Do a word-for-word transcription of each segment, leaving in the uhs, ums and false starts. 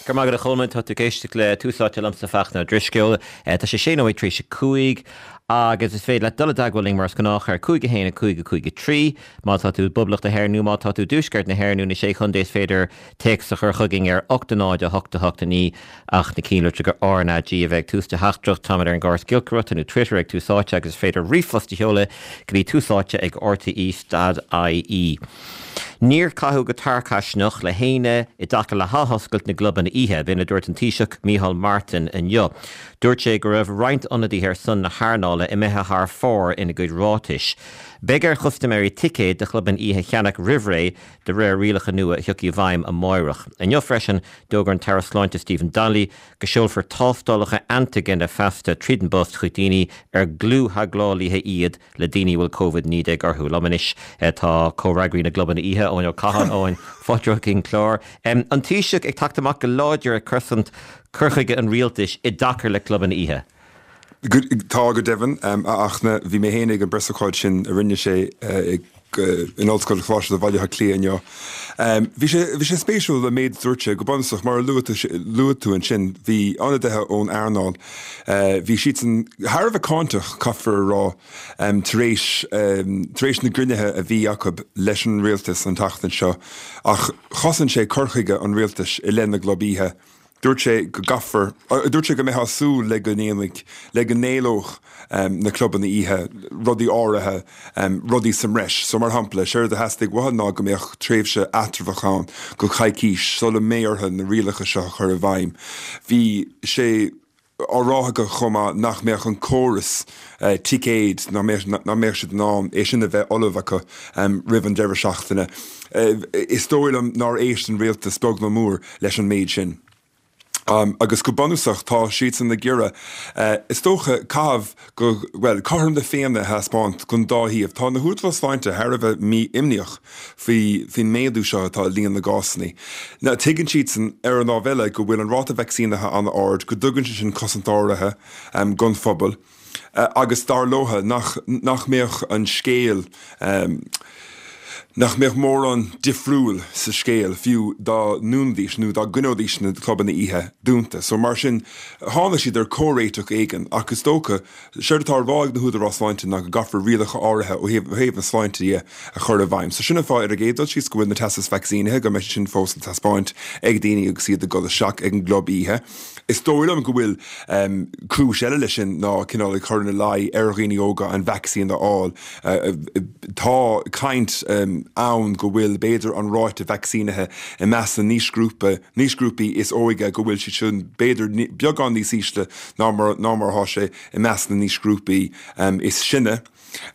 Go raibh maith agat a Cholmáin tá tú ag éisteacht le Tús Áite liomsa Fachtna Ó Drisceoil. Tá sé sé nóiméad tar éis a cúig agus is féidir leat dul i dteagmháil linn mar is gnách ar cúig a haon a cúig a cúig a trí má tá tú i bPoblacht na hÉireann nó má tá tú i dTuaisceart na hÉireann nó na Sé Chontae is féidir téacs a chur chugainn ar ocht a náid a hocht a hocht a naoi ach na cinnlitreacha R N A G a bheith ag tús do theachtaireacht. Táimid ar an gcóras giolcaireachta nó Twitter ag Tús Áite agus is féidir ríomhphost a sheoladh go dtí túsáite ag rte dot ie. Níor caitheadh go tarcaisneach le héinne i dtaca le hathoscailt na gclubanna oíche, b'in a dúirt an Taoiseach Micheál Martin inniu. Dúirt sé go raibh roinnt ionadaithe ar son na hearnála imithe thar fóir ina gcuid ráitis. Beidh ar chustaiméirí ticéid do chlubanna oíche a cheannach roimh ré de réir rialacha nua a thiocfaidh i bhfeidhm amárach. Inniu freisin, d'fhógair an tAire Sláinte Stephen Donnelly go seolfar tástálacha antaigine feasta tríd an bpost chuig daoine ar dlúth-theagmhálaithe iad le daoine a bhfuil Covid naoi déag orthu. Liom anois tá comhfhreagraí na gclubanna oíche, Eoin Ó Catháin, Eoin, fáilte chuig an clár. An Taoiseach ag teacht amach go láidir ag cosaint cur chuige an rialtais i dtaca le clubanna oíche. Tá go deimhin, a Fhachtna, bhí mé féin ag an bpreasócáid sin a rinne sé in Ollscoil Choláiste Bhaile Átha Cliath inniu. Bhí sé bhí sé spéisiúil an méid a dúirt sé, go bunúsach, mar a luaigh tú ansin, bhí ionadaithe ón earnáil, bhí siadsan thar a bheith cáinteach, caithfear a rá, tar éis tar éis na gcruinnithe a bhí acu leis an rialtas an tseachtain seo, ach chosain sé cur chuige an rialtais i leith na gclub oíche. Dúirt sé go gcaithfear, dúirt sé go mbeifeá ag súil le go ndéanfaidh, le go n-éileodh na clubanna oíche rudaí áirithe, rudaí sa mbreis. So mar shampla, séard a theastaigh uathu ná go mbeadh tréimhse eatramhach ann go coicís sula mbeidh orthu na rialacha seo a chur i bhfeidhm. Bhí sé á rá acu chomh maith nach mbeadh an córas ticéid, nach mbeadh, nach mbeadh siad in ann é sin a bheith ullamh acu roimh an deireadh seachtaine. Is dóigh liom nár éist an rialtas beag nó mór leis an méid sin. Agus go bunúsach tá siadsan ag iarraidh, is dócha, caitheamh go, bhuel, cothrom na Féinne a thaispeáint don dá thaobh. Tá na húdaráis sláinte thar a bheith mí-imníoch faoi, faoin méadú seo atá i líon na gcásanna. Now, tuigeann siadsan, ar an lámh eile, go bhfuil an ráta vacsaínithe an-ard, go dtugann sé sin cosaint áirithe don phobal, agus dar leotha nach, nach mbeadh an scéal, nach mbeadh mórán difriúil sa scéal fiú dá ndúnfaidís nó dá gcoinneoidís na clubanna oíche dúnta. So mar sin, tháinig siad ar comhréiteach éigin ach is dócha, séard atá á rá ag na húdaráis sláinte ná go gcaithfear rialacha áirithe ó thaobh, ó thaobh na sláinte dhe a chur i bhfeidhm. So sin an fáth ar an gcéad dul síos go bhfuil na teastais vacsaínithe, go mbeidh siad sin fós le taispeáint ag daoine agus iad ag dul isteach ag an gclub oíche. Is dóigh liom go bhfuil cúis eile leis sin ná cineál ag cur ina luí ar dhaoine óga an vacsaín a fháil. Tá caint ann go bhfuil b'fhéidir an ráite vacsaínithe i measc na n-aoisghrúpa, n-aoisghrúpaí is óige go bhfuil siad sin b'fhéidir beagán níos ísle ná mar ná mar atá sé i measc na n-aoisghrúpaí is sine.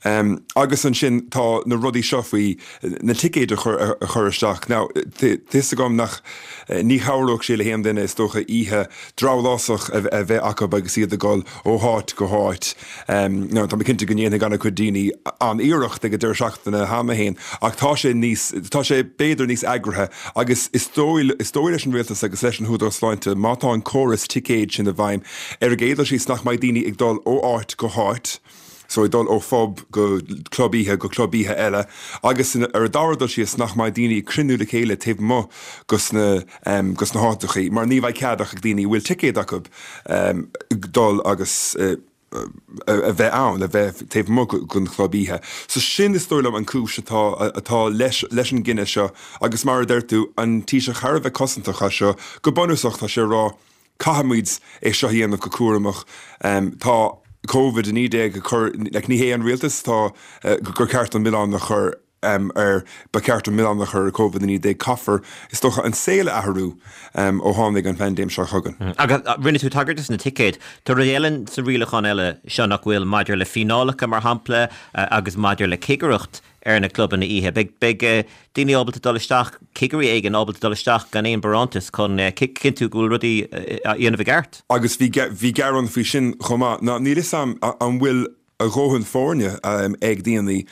Agus ansin tá na rudaí seo faoi na ticéid a chur a chur isteach. Now, tá fhios agam nach, ní chabhródh sé le haon duine is dócha oíche drabhlásach a bheith acu agus iad ag dul ó háit go háit. Now, tá mé cinnte go ndéanfaidh an-chuid daoine an-iarracht ag an deireadh seachtaine cheana féin ach tá sé níos, tá sé b'fhéidir níos eagraithe agus is dóigh, is dóigh leis an rialtas agus leis an hÚdarás Sláinte má tá an córas ticéid sin i bhfeidhm ar an gcéad dul síos nach mbeidh daoine ag dul ó áit go háit. So ag dul ó phub go club oíche go club oíche eile agus ar an dara dul síos nach mbeidh daoine ag cruinniú le chéile taobh amuigh dos na dos na háiteachaí mar ní bheidh cead ach ag daoine a bhfuil ticéad acu dul agus a bheith ann, a bheith taobh amuigh den chlub oíche. So sin is dóigh liom an cúis atá atá leis leis an gcinneadh seo agus mar a deir tú an Taoiseach thar a bheith cosantach as seo, go bunúsach tá sé ag rá Caithfimid é seo a dhéanamh go cúramach. Tá Covid a naoi déag ag cur, like, ní hé an rialtas atá gur ceart an milleán a chur ar, ba cheart an milleán a chur ar Covid a naoi déag. Caithfear, is dócha, an saol a athrú ó tháinig an phaindéim seo chugainn. Agus rinne tú tagairt dos na ticéid. Tá rud eile sa rialachán eile seo nach bhfuil maidir le fíneálacha, mar shampla, agus maidir le cigireacht ar na clubanna oíche. Beidh beidh daoine ábalta dul isteach, cigirí éigin ábalta dul isteach gan aon barántas chun cinntiú go bhfuil rudaí á dhéanamh i gceart. Agus bhí bhí gearán faoi sin chomh maith. Now níl fhios a'm an bhfuil a dhóthain foirne ag daoine.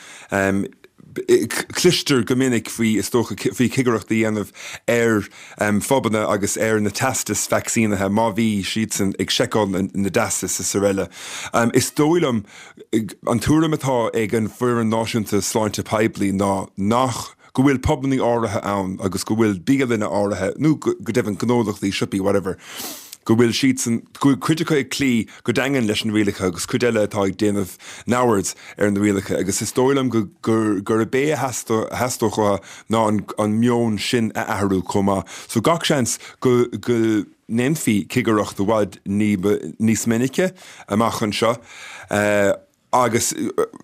Cloistear go minic faoi, is dócha, faoi chigireacht a dhéanamh ar phubanna agus ar na teastais vacsaínithe má bhí siadsan ag seiceáil na dteastas is araile. Is dóigh liom, an tuairim atá ag an bhFoireann Náisiúnta Sláinte Poiblí ná nach go bhfuil pubannaí áirithe ann agus go bhfuil bialanna áirithe, nó go deimhin gnólachtaí, siopaí, whatever, go bhfuil siadsan, go bhfuil cuid acu ag cloí go daingean leis na rialacha agus cuid eile atá ag déanamh neamhaird ar na rialacha agus is dóigh liom go, gurb é a theastódh uathu ná an meon sin a athrú chomh maith. So gach seans go, go ndéanfaí cigireacht i bhfad ní ba, níos minice amach anseo. Agus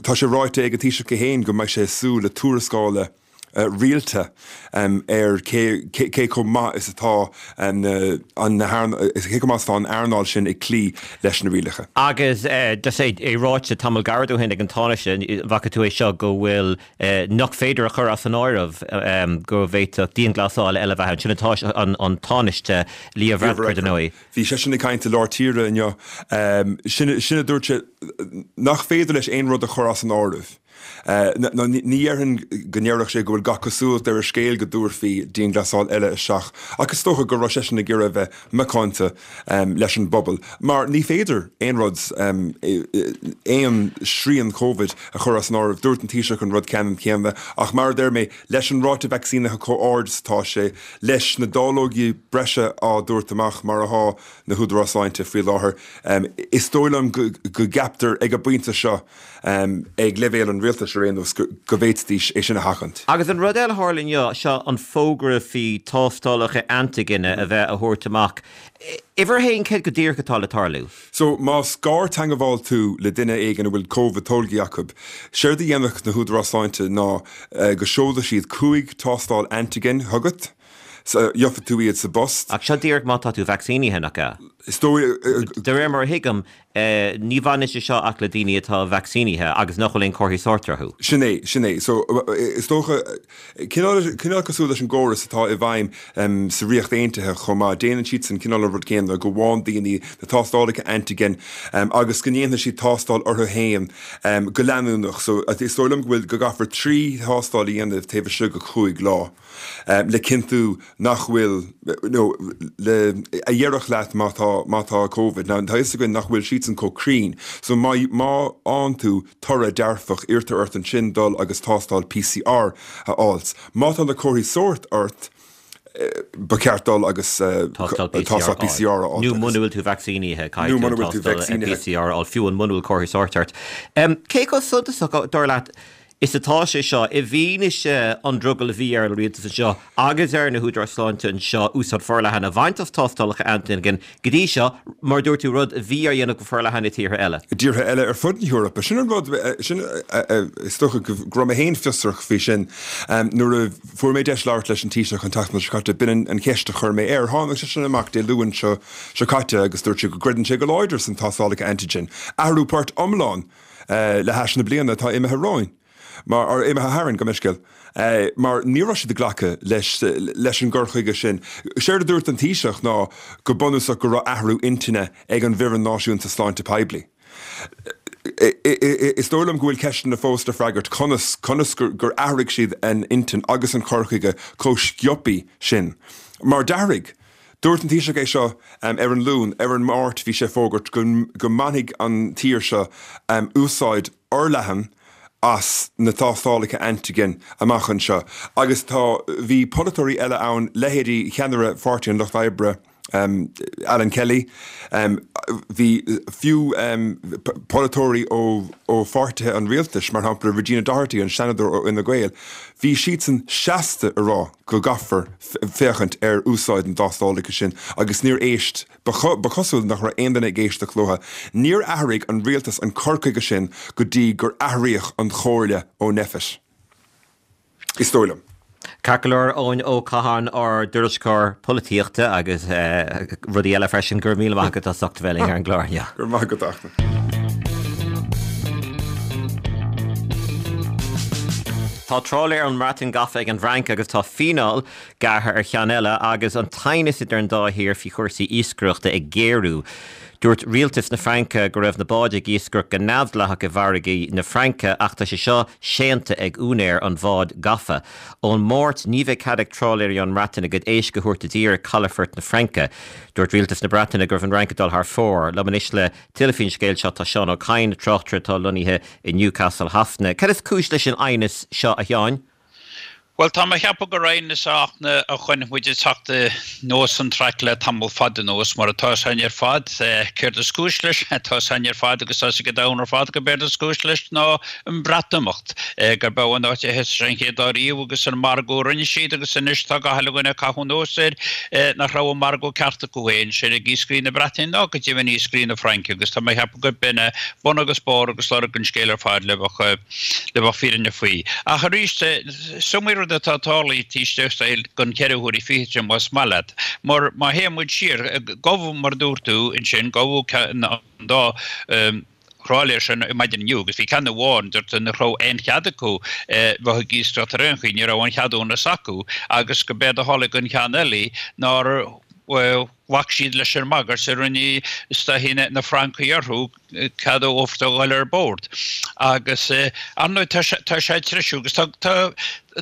tá sé ráite ag an Taoiseach é féin go mbeidh sé ag súil le tuarascála rialta ar cé chomh maith is atá an cé chomh maith is atá an earnáil sin ag cloí leis na rialacha. Agus just é ráite tamall gairid ó shin ag an Tánaiste, an bhfaca tú é seo, go bhfuil, nach féidir a chur as an áireamh go bhféadfadh dianghlasáil eile a bheith ann. Sin an an Tánaiste Leo Varadkar, dar ndóigh. Bhí seisean ag caint i lár tíre inniu. Sin a dúirt sé, nach féidir leis aon rud a chur as an áireamh. Nó ní dhéarfainn go ndéarfadh sé go bhfuil gach cosúlacht ar an scéal go dtabharfaí dianghlasáil eile isteach, ach is dócha go raibh seisean ag iarraidh a bheith macánta leis an bpobal, mar ní féidir aon rud, aon srian Covid a chur as an áireamh. Dúirt an Taoiseach an rud ceannann céanna, ach mar a deir mé, leis an ráta vacsaínithe chomh ard is atá sé, leis na dáileogaí breise á dtabhairt amach mar atá na húdaráis sláinte faoi láthair, is dóigh liom go gceaptar ag an bpointe seo, ag leibhéal an rialtais ar aon nós, go bhféadfaidís é sin a sheachaint. Agus an rud eile a tharla inniu, seo an fógra faoi tástálacha antaigine a bheith á thabhairt amach. Uimhir a haon, céard go díreach atá le tarlú? So, más gartheagmháil tú le duine éigin a bhfuil Covid tolgtha acu, séard a dhéanfadh na húdaráis sláinte ná go seolfadh siad cúig tástáil antigen chugat, gheobhaidh tú iad sa bpost. Ach seo díreach má tá tú vacsaínithe, nach ea? Is dóigh. De réir mar a thuigim, ní bhaineann sé seo ach le daoine atá vacsaínithe agus nach bhfuil aon chomharthaí sóirt orthu. Sin é, sin é. So, is dócha, cineál, cineál cosúil leis an gcóras atá i bhfeidhm sa Ríocht Aontaithe chomh maith, déanann siadsan cineál an rud céanna, go bhfaigheann daoine na tástálacha antigen agus go ndéanfaidh siad tástáil orthu féin go leanúnach. So, is dóigh liom go bhfuil, go gcaithfear trí thástáil a dhéanamh taobh istigh de chúig lá. le cinntiú nach bhfuil, nó le, a dhéarfadh leat má tá, má tá Covid. Now, tá a fhios againn nach bhfuil siadsan chomh cruinn, so má, má fhaigheann tú toradh dearfach, iarrtar ort ansin dul agus tástáil PCR a fháilt. Má tá na comharthaí sóirt ort, ba cheart dul agus tástáil PCR a fháilt. Nó muna bhfuil tú vacsaínithe, caithfidh tú tástáil PCR a fháil, fiú muna bhfuil comharthaí sóirt ort. Cé chomh suntasach, dar leat, is atá sé seo, i bhfianaise an drogall a bhí ar an rialtas anseo agus ar na húdaráis sláinte anseo úsáid forleathan a bhaint as tástálacha antaigin go dtí seo, mar a dúirt tú, rud a bhí á dhéanamh go forleathan i dtíortha eile. I dtíortha eile ar fud na hEorpa. Sin an rud, sin, is dócha go raibh mé féin fiosrach faoi sin nuair a fuair mé deis labhairt leis an Taoiseach an tseachtain seo caite, b'in an cheist a chuir mé air. Tháinig seisean amach Dé Luain seo seo caite agus dúirt sé go gcreideann sé go láidir san tástálacha antigen. Athrú poirt iomlán le hais na bliana atá imithe romhainn, mar, imithe tharainn, gabh mo leithscéal, mar ní raibh siad ag glacadh leis, leis an gcur chuige sin. Séard a dúirt an Taoiseach ná go bunúsach go raibh athrú intinne ag an bhFoireann Náisiúnta Sláinte Poiblí. Is dóigh liom go bhfuil ceisteanna fós le freagairt, conas, conas gur athraigh siad an intinn agus an cur chuige chomh sciobtha sin? Mar d'athraigh. Dúirt an Taoiseach é seo ar an Luan, ar an Máirt bhí sé ag fógairt go mbainfidh an tír seo úsáid fhorleathan as na tástálacha antigen amach anseo agus tá, bhí polaiteoirí eile ann, leithéidí cheannaire Pháirtí an Lucht Oibre, Alan Kelly, bhí fiú polaiteoirí ó pháirtithe an rialtais, mar shampla Regina Doherty, an Seanadóir ó Fhine Gael, bhí siadsan seasta a rá go gcaithfear féachaint ar úsáid na dtástálacha sin agus níor éist, ba chosúil nach raibh aon duine ag éisteacht leo. Níor athraigh an rialtas an cur chuige sin go dtí gur athraíodh an chomhairle ó Nphet. Is dóigh liom. Ceart go leor, Eoin Ó Catháin, ár dtuairisceoir polaitíochta agus rudaí eile freisin, go raibh míle maith agat as ucht a bheith linn ar an gclár inniu. Go raibh maith agat, a Fhachtna. Tá trálaer ón mBreatain gafa ag an bhFrainc agus tá fíneáil gearrtha ar cheann eile agus an t-aighneas idir an dá thír faoi chúrsaí iascaireachta ag géarú. Dúirt rialtas na Fraince go raibh na báid ag iascaireacht go neamhdhleathach i bhfarraigí na Fraince ach tá sé seo séanta ag úinéir an bháid gafa. Ón Máirt ní bheidh cead ag trálaeirí ón mBreatain a gcuid éisc a thabhairt i dtír i calafort na Fraince. Dúirt rialtas na Breataine go raibh an Fhrainc ag dul thar fóir. Liom anois le tuilleadh faoin scéal seo tá Seán Ó Cadhain, tráchtaire atá lonnaithe i Newcastle Shasana. Cad is cúis leis an aighneas seo a Sheáin? Bhuel, tá mé a cheapadh gur aighneas Fhachtna a chonaic muid ag teacht anuas an traic le tamall fada anuas, mar atá 's againn ar fad. Céard is cúis leis? Tá 's againn ar fad agus tá 's ag an domhan ar fad gurb éard is cúis leis ná an Breatimeacht, gurb é an áit a thosaigh sé an chéad lá riamh agus an margadh a rinne siad agus anois tá gach uile dhuine ag caitheamh anuas air nach raibh an margadh ceart acu féin, sin ag iascairí na Breataine ná go deimhin iascairí na Fraince agus tá mé a cheapadh gurb in é bun agus barr agus lorg an scéil ar fad le bheith le bheith fírinneach faoi. Ach arís, is iomaí rud atá tarlaithe taobh istigh den cheithre huaire fichead sin más maith leat. Mar má théann muid siar, gabhadh mar a dúirt tú ansin, gabhadh an dá thrálaer sin maidin inniu agus bhí ceann amháin, deirtear nach raibh aon chead acu bheith ag iascaireacht ar aon chaoi, ní raibh aon cheadúnas acu agus go b'éard a tharla don cheann eile nár ghlac siad leis an mbagairt a rinne is dóichí na Francaigh orthu cead a thabhairt a dhul ar bord. Agus ar ndóigh tá sé tá sé ag treisiú agus tá tá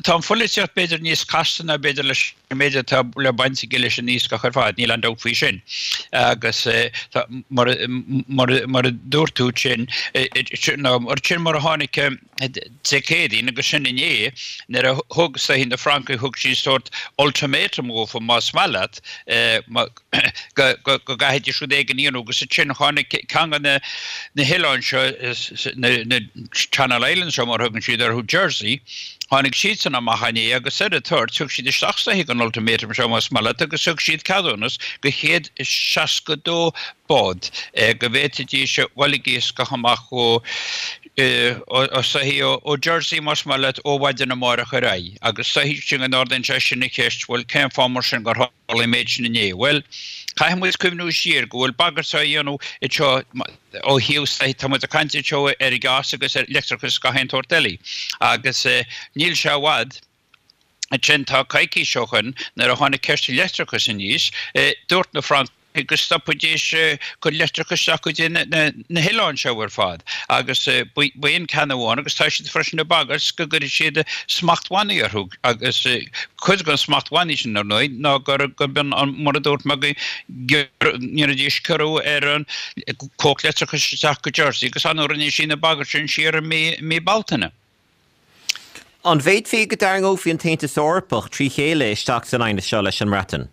tá an pholaitíocht b'fhéidir níos casta ná b'fhéidir leis an méid atá le baint aige leis an iascach ar fad, níl aon dabht faoi sin. Agus tá mar mar mar a dúirt tú sin nó mar sin mar a tháinig Dé Céadaoin agus sin inné nuair a thug is dóichí na Francaigh thug siad sórt ultimatum dhófa más maith leat go gcaithfidís rud éigin a dhéanamh agus ansin tháinig ceann de na na hoileáin seo na Channel Islands seo mar a thugann siad orthu Jersey tháinig siadsan amach inné agus ar an toirt thug siad isteach is dóichí an ultimatum seo más maith leat agus thug siad ceadúnas do chéad seasca dó bád go bhféadfaidís a dhul ag iascach amach ó is dóichí ó Jersey más maith leat ó mhaidin amárach ar aghaidh agus is dóichí sin go n-ardaíonn sé sin an cheist bhuel cén fáth mar sin gur tharla an méid sin inné? Bhuel caithfidh muid cuimhniú siar go bhfuil bagairt á dhéanamh anseo ó thaobh tá muid ag caint anseo ar gás agus ar leictreachas gach aon tsórt eile agus níl sé i bhfad ansin tá coicís ó shoin nuair a tháinig ceist an leictreachais aníos dúirt na Francaigh go stopfaidís cur leictreachais isteach go dtí na hoileáin seo ar fad agus b'in ceann amháin agus tá siad freisin ag bagairt go gcuirfidh siad smachtbhannaí orthu agus cuid den smachtbhannaí sin ar ndóigh ná gur gurb in mar a dúirt mé go ndéanfaidís ciorrú ar an cumhacht leictreachais isteach go Jersey agus ar ndóigh rinne siad na bagairt sin siar i mí Bealtaine. An bhféadfaí go dtarraingeofaí an tAontas Eorpach trí chéile isteach san aighneas seo leis an mBreatain?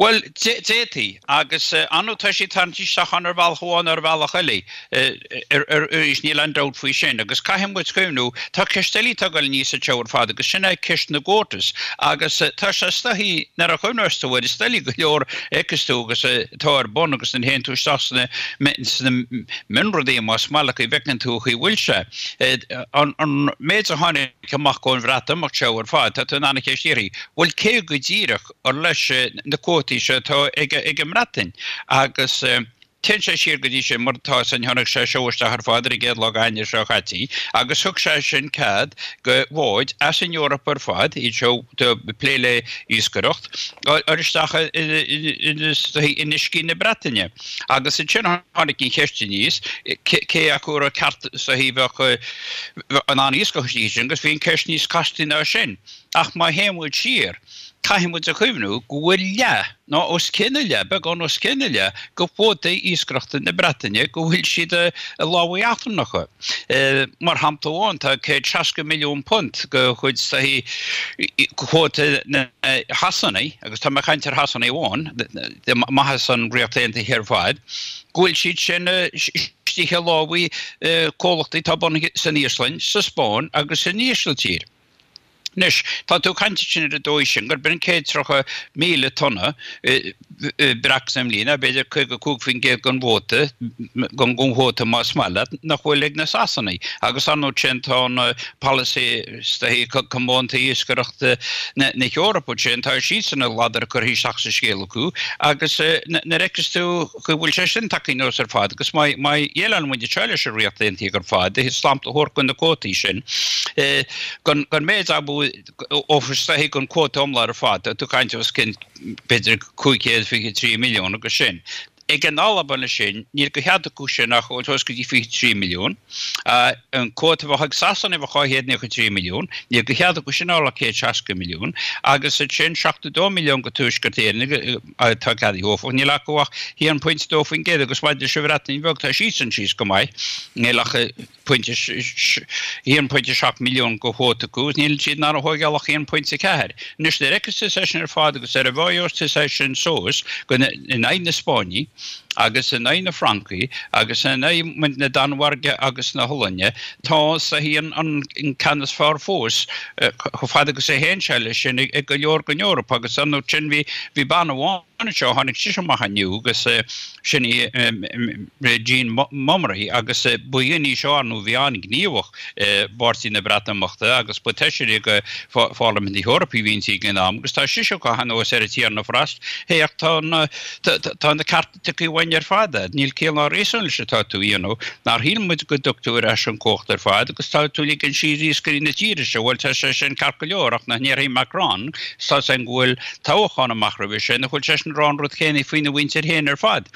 Bhuel, d'fhéadfaí, agus ar ndóigh tá siad tarraingthe isteach ann ar bhealach amháin nó ar bhealach eile, arís, níl aon dabht faoi sin. Agus caithfidh muid cuimhniú, tá ceist eile atá ag dul aníos anseo ar fad agus sin é ceist na gcuótas. Agus tá sé is dóichí, nuair a chuimhneos tú air, is doiligh go leor a fheiceas tú agus atá ar bun agus nuair a théann tú isteach sna sna mionrudaí más maith leat go bhfeiceann tú an chaoi a bhfuil sé. An méid a tháinig amach ón Bhreatimeacht seo ar fad, tá tú in ann an cheist a iarraidh, bhuel cé go díreach ar leis na cuótaí seo atá ag an mBreatain agus téann sé siar go dtí sin mar atá san tháinig sé seo isteach ar fad ar an gcéad lá d'Eanáir seo caite agus thug sé sin cead go bháid as an Eoraip ar fad, iad seo ag plé le iascaireacht, dul isteach in uiscí na Breataine. Agus ansin tháinig an cheist aníos cé acu a raibh ceart is dóichí bheadh in ann iascach istigh ansin agus bhí an ceist níos casta ná sin. Ach má théann muid siar, Caithfidh muid a chuimhniú go bhfuil leath, nó os cionn a leath, beagán os cionn a leath, de chuótaí iascaireachta na Breataine go bhfuil siad i lámha eachtrannacha. Mar shampla amháin, tá céad seasca milliún punt de chuid cuóta na Shasanaigh, agus tá mé ag caint ar Shasanaigh amháin, maitheas an Ríocht Aontaithe ar fad, go bhfuil siad sin istigh i lámha comhlachtaí atá bunaithe san Íoslainn, sa Spáinn agus san Ísiltír. Anois, tá tú ag caint ansin ar an dóigh sin gurb in céad tríocha míle tonna breac sa mbliain, b'fhéidir caoga cúig faoin gcéad den gcuóta, den gcuóta más maith leat, nach bhfuil ag na Sasanaigh. Agus ar ndóigh sin tá an polasaí is dóichí comónta iascaireachta na hEorpa sin, tá siadsan a ladar curtha isteach sa scéal acu agus nuair a fheiceas tú go bhfuil sé sin tagtha anuas ar fad agus má dhéileálann muid anseo leis an Ríocht Aontaithe ar fad, smacht a thabhairt do na cuótaí sin, don méid ab is dóichí den cuóta iomlán ar fad, tá tú ag caint os cionn b'fhéidir cúig chéad fiche trí milliún agus sin. Ag an Albain sin, níl de chead acu sin ach dul suas go dtí fiche trí milliún. An cuóta a bheadh ag Sasana bheadh dhá chéad nócha trí milliún, níl de chead acu sin a fháil ach céad seasca milliún. Agus ansin seachtó dó milliún go Tuaisceart Éireann atá ceadaithe áfach, níl acu ach haon pointe dó faoin gcéad agus maidir leis an Bhreatain Bheag tá siadsan síos go maith, níl ach pointe haon pointe seacht milliún de chuóta acu agus níl siad in ann a thógáil ach haon pointe ceathair. Anois nuair a fheiceas tú é sin ar fad agus nuair a mheas tú é sin suas go in aghaidh na Spáinne agus in aghaidh na Fraince agus in aghaidh na Danmhairge agus na hOllainne, tá sa an an ceann is fearr fós chomh fada agus a théann sé leis sin ag go leor den Eoraip agus an sin bhí bhí bean amháin anseo, tháinig sise amach inniu agus sin í Jean Mummery agus ba dhuine í seo nó bhí an-ghníomhach i bPáirtí na Breatimeachta agus ba fheisire de Pharlaimint na hEorpa a bhí inti ag an am agus tá sise ag caitheamh anuas ar an Tiarna Frost, Féach, tá na tá na cearta tugtha uainn ar fad, níl ciall ná réasún leis atá tú a dhéanamh, nár shíl muid go dtug tú ar ais an chumhacht ar fad agus tá tú ag ligean siar iascairí na tíre seo, bhuel tá sé sin ceart go leor ach nach ndéarfaidh Macron, tá a fhios againn go bhfuil toghchán amach roimhe sin, nach bhfuil seisean ag rá an rud céanna faoina mhuintir féin ar fad.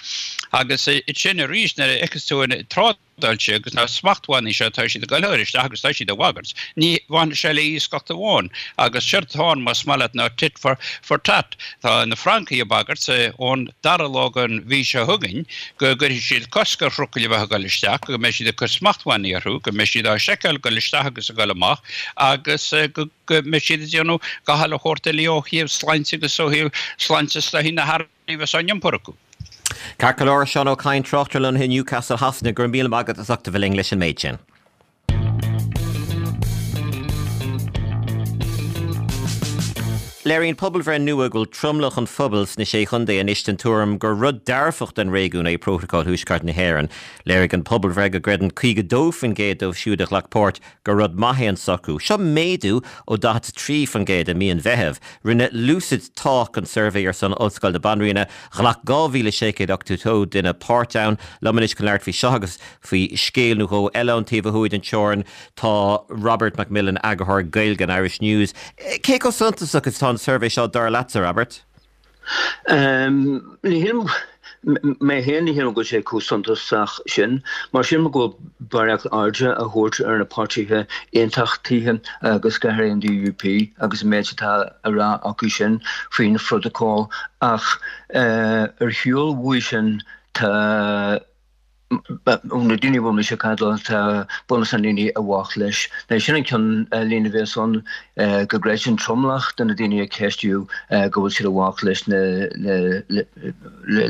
Agus sin arís nuair a fheiceas tú an trádáil seo agus na smachtbhannaí seo, tá siad ag dul a chur isteach agus tá siad ag bagairt. Ní bhainfidh sé le iascach amháin. Agus séard atá ann, más maith leat, ná tit for, for tat. Tá na Francaigh ag bagairt ón dara lá den mhí seo chugainn go gcuirfidh siad cosc ar thrucail a bheith ag dul isteach, go mbeidh siad ag cur smachtbhannaí orthu, go mbeidh siad á seiceáil ag dul isteach agus ag dul amach agus go go mbeidh siad ag déanamh gach uile shórt eile ó thaobh sláinte agus ó thaobh sláinte is dóichí na hearraí a bheas á n-iompar acu. Ceart go leor, Seán Ó Cadhain, tráchtaire lonnaithe i Newcastle Shasana, go raibh míle maith agat as ucht a bheith linn leis an méid sin. Léiríonn pobalbhreith nua go bhfuil tromlach an phobail sna Sé Chontae anois den tuairim gur rud dearfach don réigiún é Prótacal Thuaisceart na hÉireann. Léirigh an pobalbhreith go gcreideann caoga dó faoin gcéad dóibh siúd a ghlac páirt gur rud maith é an socrú. Seo méadú ó daichead a trí faoin gcéad i mí an Mheithimh. Rinne Lucid Talk an suirbhé ar son Ollscoil na Banríona. Ghlac dhá mhíle sé chéad ochtó dó duine páirt ann. Liom anois chun labhairt faoi seo agus faoi scéal nó dhó eile ón taobh ó thuaidh den teorainn tá Robert McMillen, Eagarthóir Gaeilge an Irish News. Cé chomh suntasach is atá an suirbhé seo dar leatsa, Robert? Ní shílim, mé féin, ní shílim go bhfuil sé chomh suntasach sin. Mar sílim go bhfuil barraíocht airde á thabhairt ar na páirtithe aontachtaithe agus go háirithe an DUP agus an méid atá á rá acu sin faoin phrótacal ach ar shiúl uaidh sin tá Ó na daoine a bhfuil mise ag caint leo, tá bunús na ndaoine i bhfách leis. Now sin an ceannlíne a bheas ann, go gcreideann tromlach de na daoine a ceistíodh go bhfuil siad i bhfách leis na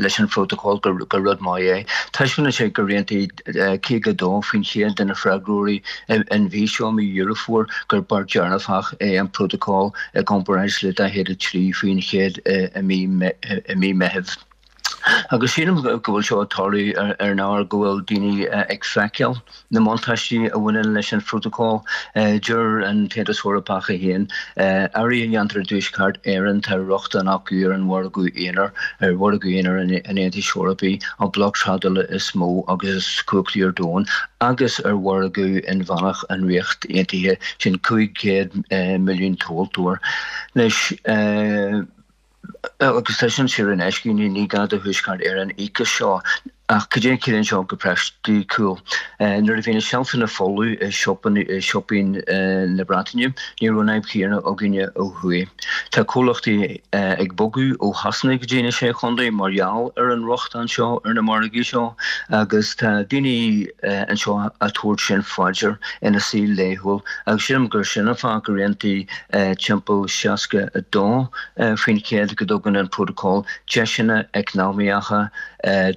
leis an phrótacal, gur rud maith é. Taispeánann sé gur aontaigh caoga a dó faoin chéad de na freagróirí an mhí seo, mí Dheireadh Fómhair, gur beart dearfach é an prótacal i gcomparáid le daichead a trí faoin chéad i mí Meithimh. Agus sílim go bhfuil seo ag tarlú ar an ábhar go bhfuil daoine ag feiceáil na mbuntáistí a bhaineann leis an phrótacal. Deir an tAontas Eorpach é féin, earraí a dhéantar i dTuaisceart Éireann, tá rochtain acu ar an mhargadh aonair, ar mhargadh aonair an Aontais Eorpaigh, an bloc trádála is mó agus is cumhachtaí ar domhan, agus ar mhargadh inmheánach an Ríocht Aontaithe, sin cúig chéad milliún tomhaltóir. Anois. Agus tá sin saor in aisce, ní gá do Thuaisceart Éireann íoc as seo. Ach cad é a chiallaíonn seo go praiticiúil? Nuair a bhí na seilfeanna folamh i siopaí na Breataine, ní raibh an fhadhb chéanna againne ó thuaidh. Tá comhlachtaí ag bogadh ó Shasana go dtí na Sé Chontae mar gheall ar an rochtain seo ar na margaí seo agus tá daoine anseo á tabhairt sin faoi deara ina saol laethúil agus sílim gur sin an fáth gur aontaigh timpeall seasca a dó faoin chéad go dtugann an prótacal deiseanna eacnamaíocha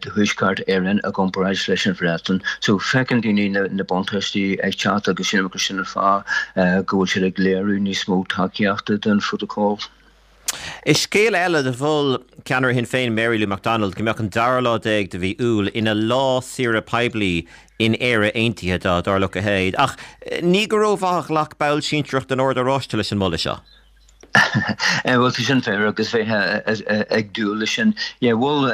do Thuaisceart Éireann i gcomparáid leis an Bhreatain. So feiceann daoine na buntáistí ag teacht agus sílim gur sin an fáth go bhfuil siad ag léiriú níos mó tacaíochta don phrótacal. I scéal eile, mhol ceannaire Shinn Féin Mary Lou McDonald go mbeadh an dara lá déag de mhí Iúil ina lá saoire poiblí in Éire Aontaithe dá dtarlódh a leithéid. Ach ní go rómhaith a ghlac ball sinsearach den Ord Oráiste leis an moladh seo. Bhuel, tá sin fíor agus bheifeá ag dúil leis sin. Yeah, mhol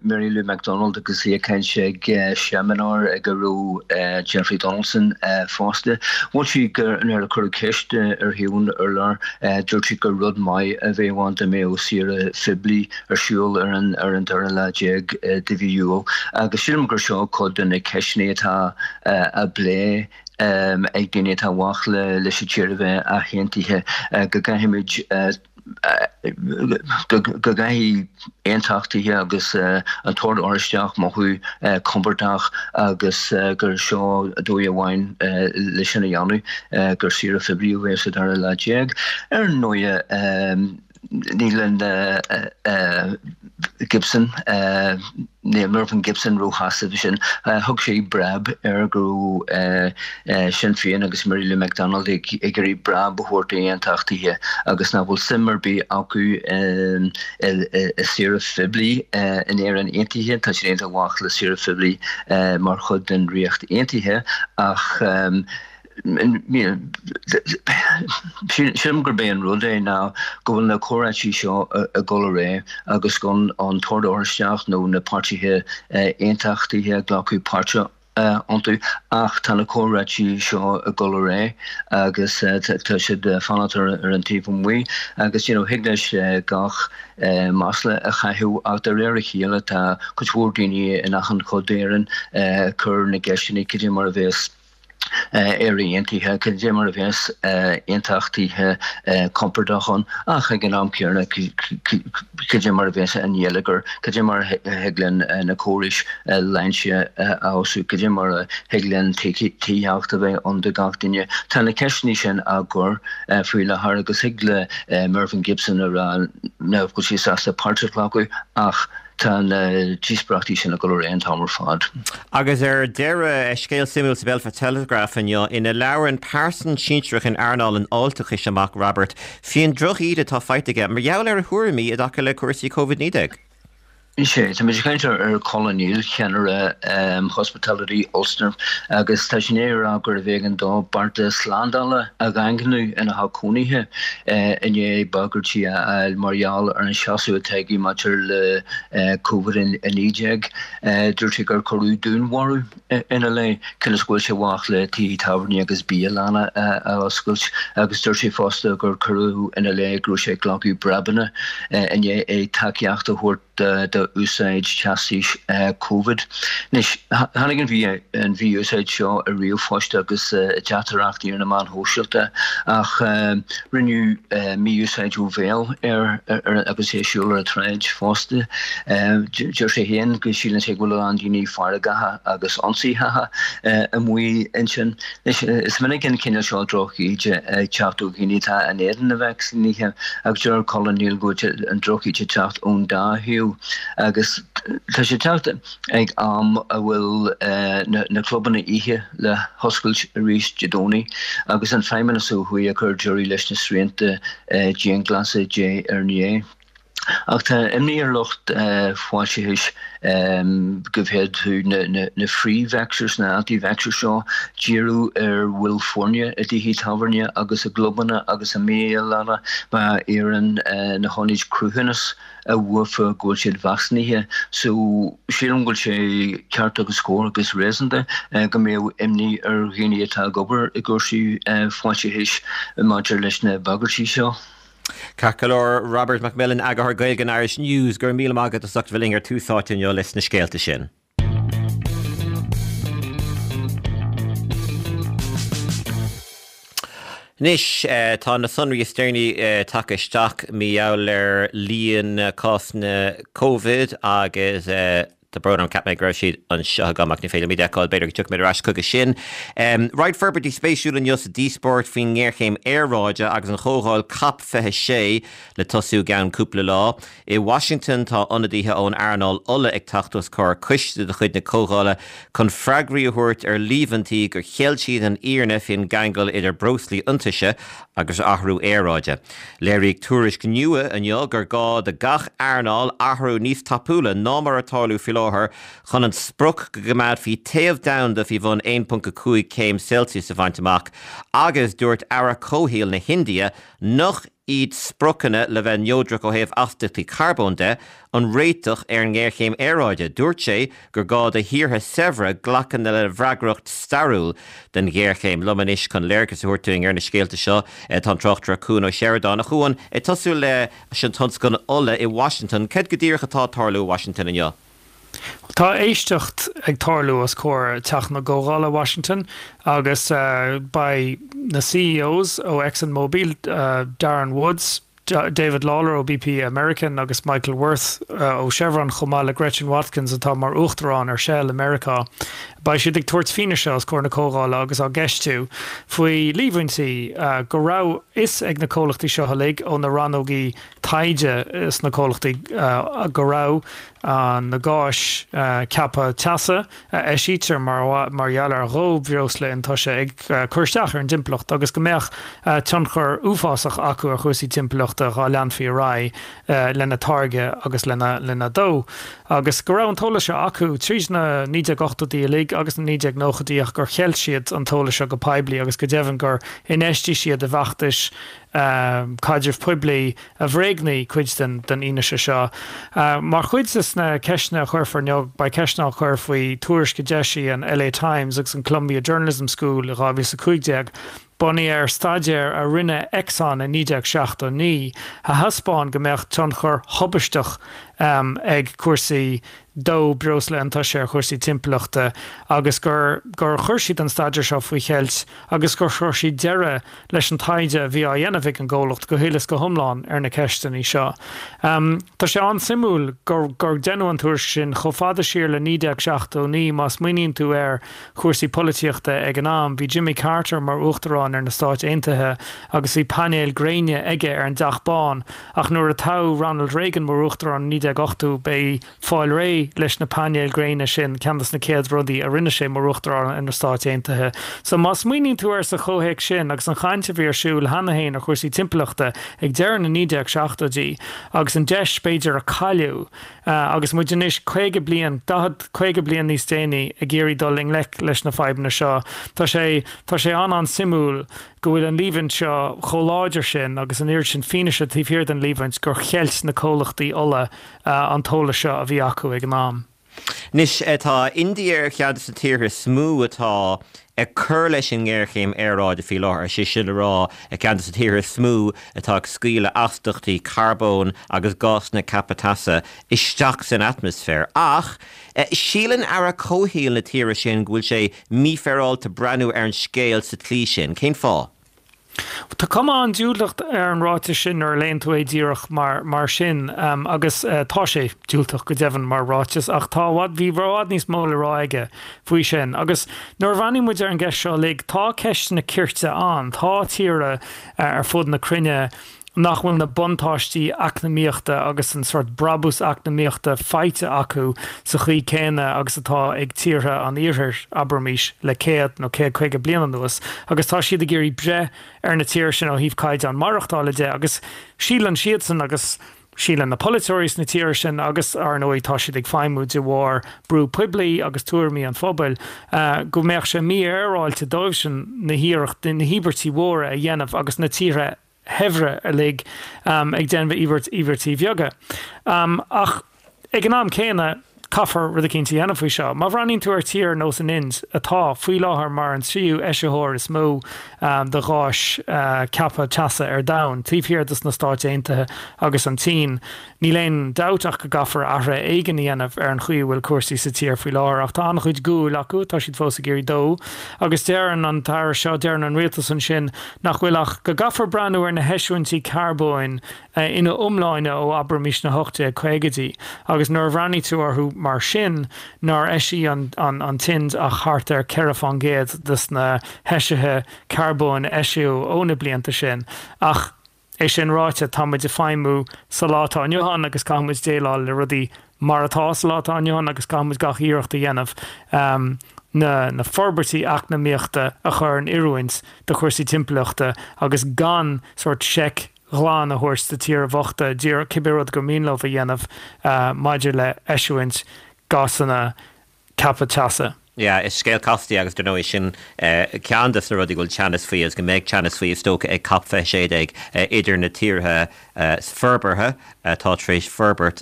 Mary Lou McDonald agus í ag caint ag seimineár ag a raibh Jeffrey Donaldson fosta. Mhol sí gur nuair a cuireadh ceist uirthi ón urlár, dúirt sí gur rud maith a bheadh ann dá mbeadh saoire phoiblí ar siúl ar an ar an dara lá déag de mhí Iúil. Agus sílim gur seo cuid de na ceisteanna atá á bplé ag daoine atá amach leis an tír a bheith athaontaithe, go gcaithfimid, go gcaithfidh aontachtaithe agus an tOrd Oráisteach mothú compordach agus gur seo dóigh amháin le sin a dhéanamh, gur saoire phoiblí a bheadh sa dara lá déag. Ar ndóigh, níl an Gibson, níl Mervyn Gibson róshásta leis sin. Thug sé breab air go raibh Sinn Féin agus Mary Lou McDonald ag iarraidh breab a thabhairt d'aontachtaithe agus nach bhfuil suim ar bith acu i saoire phoiblí in Éirinn Aontaithe. Tá siad amach le saoire phoiblí mar chuid den Ríocht Aontaithe ach Sílim gurb é an rud é ná go bhfuil na comhráití seo ag dul ar aghaidh agus gan an tOrd Oráisteach nó na páirtithe aontachtaithe ag glacadh páirte iontu ach tá na comhráití seo ag dul ar aghaidh agus tá siad ag fanacht ar an taobh amuigh agus you know thig leis gach masla a chaitheamh ach de réir a chéile tá cuid mhór daoine in achan chuid d'Éirinn ag cur na gceisteanna cad é mar a bheas Éire Aontaithe, cad é mar a bheas aontachtaithe compordach ann, ach ag an am céanna cad é mar a bheas an geilleagar, cad é mar a thig linn na córais sláinte a fheabhsú, cad é mar a thig linn tithíocht a bheith ann do gach duine. Tá na ceisteanna sin á gcur faoi láthair agus thig le Mervyn Gibson a rá nach bhfuil sé sásta páirt a ghlacadh ach Tá na díospóireachtaí sin ag dul ar aghaidh an t-am ar fad. Agus ar deireadh, scéal suimiúil sa Belfast Telegraph inniu ina labhrann pearsan sinsearach in earnáil an fháilteachais amach, Robert, faoin droch-íde atá faighte aige mar gheall ar a thuairimí i dtaca le cúrsaí Covid naoi déag. Sea, tá muid ag caint ar Colin Neill, ceannaire Hospitality Ulster, agus tá sé i ndiaidh a rá gurbh éigean dó bearta slándála a dhaingniú ina theach cónaithe i ndiaidh bagairtí a fháil mar gheall ar an seasamh atá aige maidir le Covid a naoi déag. Dúirt sé gur cuireadh dúnmharú ina leith cionn is go bhfuil sé amach le tithe tábhairne agus bialanna a oscailt agus dúirt sé fosta gur cuireadh ina leith go raibh sé ag glacadh breabanna i ndiaidh é tacaíocht a thabhairt d'úsáid teastais Covid. Anois, tháinig an mhí-úsáid seo i ríomhphoist agus i dteachtaireachtaí ar na meáin shóisialta ach rinneadh mí-úsáid ó bhéal air agus é ag siúl ar an tsráid fosta. Deir sé féin go síleann sé go bhfuil a lán daoine feargacha agus ionsaitheacha amuigh ansin. Anois, is minic an cineál seo drochíde ag teacht ó dhaoine atá in éadan na vacsaínithe ach deir Colin Neill go bhfuil an drochíde ag teacht ón dá thaobh agus tá sé ag teacht ag am a bhfuil na clubanna oíche le hoscailt arís Dé Domhnaigh agus an Feidhmeannas ó thuaidh ag cur deireadh leis na srianta dianghlasála diaidh ar ndiaidh. Ach tá imní ar lucht fáilteachais go bhféadfadh na free-vaxxers, na anti-vaxxers seo, díriú ar bhaill foirne i dtithe tábhairne agus i gclubanna agus i mbialanna má iarrann na hionaid cruthúnas uafa go bhfuil siad vacsaínithe. So, sílim go bhfuil sé ceart agus cóir agus réasúnta go mbeadh imní ar dhaoine atá ag obair i gcúrsaí fáilteachais maidir leis na bagairtí seo. Ceart go leor, Robert McMillen, Eagarthóir Gaeilge an Irish News, go raibh míle maith agat as ucht a bheith linn ar Tús Áite inniu leis na scéalta sin. Anois, tá na sonraí is deireanaí tagtha isteach mar gheall ar líon cásanna Covid agus tá brón orm, cheap mé go raibh siad anseo agam ach ní féidir liom iad a fheiceáil, b'fhéidir go dtiocfaidh mé ar ais chuige sin. Roinnt forbairtí spéisiúla inniu sa díospóireacht faoin ngéarchéim aeráide agus an chomhdháil Cop fiche sé le tosú i gceann cúpla lá. I Washington tá ionadaithe ón earnáil ola ag teacht os comhair coiste de chuid na comhdhála chun freagraí a thabhairt ar líomhaintí gur cheil siad an fhírinne faoin gceangal idir breoslaí iontaise agus athrú aeráide. Léiríodh tuairisc nua inniu gur gá do gach earnáil athrú níos tapúla ná mar atá tarlú faoi láthair chun an sprioc go gcoimeádfaí téamh domhanda faoi bhun aon ponc a cúig céim Celsius a bhaint amach agus dúirt Aire Comhshaoil na hIndia nach iad spriocanna le bheith neodrach ó thaobh astaíochtaí carbóin de an réiteach ar an ngéarchéim aeráide. Dúirt sé gur gá do thíortha saibhre glacadh lena bhfreagracht stairiúil den ghéarchéim. Liom anois chun léargas a thabhairt dúinn ar na scéalta seo tá an tráchtaire Cuan Ó Seireadáin. A Chuain, ag tosú leis an tionscal ola i Washington, céard go díreach atá ag tarlú i Washington inniu? Tá éisteacht ag tarlú os comhair Teach na gComhdhála Washington agus beidh na CEOs ó ExxonMobil, Darren Woods, David Lawler ó BP American agus Michael Wirth ó Chevron chomh maith le Gretchen Watkins atá mar uachtarán ar Shell i Meiriceá. Beidh siad ag tabhairt fianaise os comhair na comhdhála agus á gceistiú faoi líomhaintí go raibh fhios ag na comhlachtaí seo uilig ó na rannógaí taighde sna comhlachtaí go raibh na gáis ceaptha teasa a eisítear mar mar gheall ar dhó breosla iontaise ag cur isteach ar an dtimpeallacht agus go mbeadh tionchar uafásach acu ar chúrsaí timpeallachta dhá leanfaí ar aghaidh lena dtáirgeadh agus lena lena dó. Agus go raibh an t-eolas seo acu tríd na naoi déag ochtóidí uilig agus na naoi déag nóchaidí ach gur cheilt siad an t-eolas seo go poiblí agus go deimhin gur infheistigh siad i bhfeachtais caidreamh poiblí a bhréagnaigh cuid den den fhianaise seo. Mar chuid de na ceisteanna a chuirfear inniu, beidh ceisteanna á chur faoi tuairisc a d'eisigh an LA Times agus an Columbia Journalism School i dhá mhíle is a cúig déag, bunaithe ar staidéar a rinne Exxon i naoi déag seachtó naoi a thaispeáin go mbeadh tionchar thubaisteach ag cúrsaí dó breosla iontaise ar chúrsaí timpeallachta agus gur gur chuir siad an staidéar seo faoi cheilt agus gur chuir siad deireadh leis an taighde a bhí á dhéanamh ag an gcomhlacht go huile is go hiomlán ar na ceisteanna seo. Tá sé an-suimiúil gur gur deineadh an tuairisc sin chomh fada siar le naoi déag seachtó naoi má smaoiníonn tú ar chúrsaí polaitíochta ag an am. Bhí Jimmy Carter mar uachtarán ar na Stáit Aontaithe agus bhí painéil gréine aige ar an dTeach Bán ach nuair a toghadh Ronald Reagan mar uachtarán i naoi déag ochtó b'é fáil réidh leis na painéil gréine sin ceann de na chéad rudaí a rinne sé mar uachtarán ar na Stáit Aontaithe. So má smaoiníonn tú air sa chomhthéacs sin agus an chaint a bhí ar siúl cheana féin ar chúrsaí timpeallachta ag deireadh na naoi déag seachtóidí agus an deis b'fhéidir a cailleadh agus muid anois caoga bliain, daichead, caoga bliain níos déanaí ag iarraidh dul i ngleic leis na fadhbanna seo, tá sé, tá sé an-an-suimiúil go bhfuil an líomhaint seo chomh láidir sin agus an oiread sin fianaise taobh thiar den líomhaint gur cheilt na comhlachtaí ola an t-eolas seo a bhí acu ag an am. Anois, tá India ar cheann de na tíortha is mó atá ag cur leis an ngéarchéim aeráide faoi láthair, sé sin le rá, ar cheann de na tíortha is mó atá ag scaoileadh astaíochtaí carbóin agus gásanna ceaptha teasa isteach san atmaisféar. Ach síleann Aire Comhshaoil na tíre sin go bhfuil sé mífhéaráilte breathnú ar an scéal sa tslí sin. Cén fáth? Tá cuma an-diúltach ar an ráiteas sin nuair a léann tú é díreach mar mar sin agus tá sé diúltach go deimhin mar ráiteas ach tá bhí i bhfad níos mó le rá aige faoi sin. Agus nuair a bhreathnaíonn muid ar an gceist seo uilig, tá ceisteanna cirte ann, tá tíortha ar fud na cruinne nach bhfuil na buntáistí eacnamaíochta agus an sórt brabús eacnamaíochta faighte acu sa chaoi céanna agus atá ag tíortha an iarthair, abraimis, le céad nó céad caoga bliain anuas, agus tá siad ag iarraidh breith ar na tíortha sin ó thaobh caighdeán maireachtála de agus síleann siadsan agus síleann na polaiteoirí sna tíortha sin agus, ar ndóigh, tá siad ag feidhmiú de bharr brú poiblí agus tuairimí an phobail, go mbeadh sé mífhéaráilte dóibhsean na hiarrachtaí, na híobairtí mhóra a dhéanamh agus na tíortha shaibhre uilig ag déanamh íobairtí bheaga. Ach ag an am céanna, caithfear rud eicínt a dhéanamh faoi seo. Má bhreathnaíonn tú ar tír ar nós an Ind, atá faoi láthair mar an tríú eisitheoir is mó de gháis ceaptha teasa ar domhan, taobh thiar de na Stáit Aontaithe agus an tSín, níl aon dabht ach go gcaithfear athruithe éigin a dhéanamh ar an chaoi a bhfuil cúrsaí sa tír faoi láthair. Ach tá an-chuid guail acu, tá siad fós ag iarraidh dó. Agus deireann an t-aire seo, deireann an rialtas ansin nach bhfuil ach go gcaithfear breathnú ar na heisiúintí carbóin ina iomláine ó abraimis na hocht déag caogaidí agus nuair a bhreathnaigh tú orthu mar sin nár eisigh an an tInd ach thart ar ceithre fán gcéad des na heisithe carbóin a eisíodh ó na blianta sin. Ach é sin ráite, tá muid ag feidhmiú sa lá atá inniu ann agus caithfidh muid déileáil le rudaí mar atá sa lá atá inniu ann agus caithfidh muid gach iarracht a dhéanamh na na forbairtí eacnamaíochta a chur in oiriúint do chúrsaí timpeallachta agus gan sórt seic ghlan a thabhairt do tíortha bochta díreach cibé rud gur mian leo a dhéanamh maidir le eisiúint gásanna ceaptha teasa. Yeah, is scéal casta é agus dar ndóigh sin ceann de na rudaí go bhfuil teannas faoi agus go mbeidh teannas faoi is dócha ag COP fiche sé déag idir na tíortha forbartha atá tar éis forbairt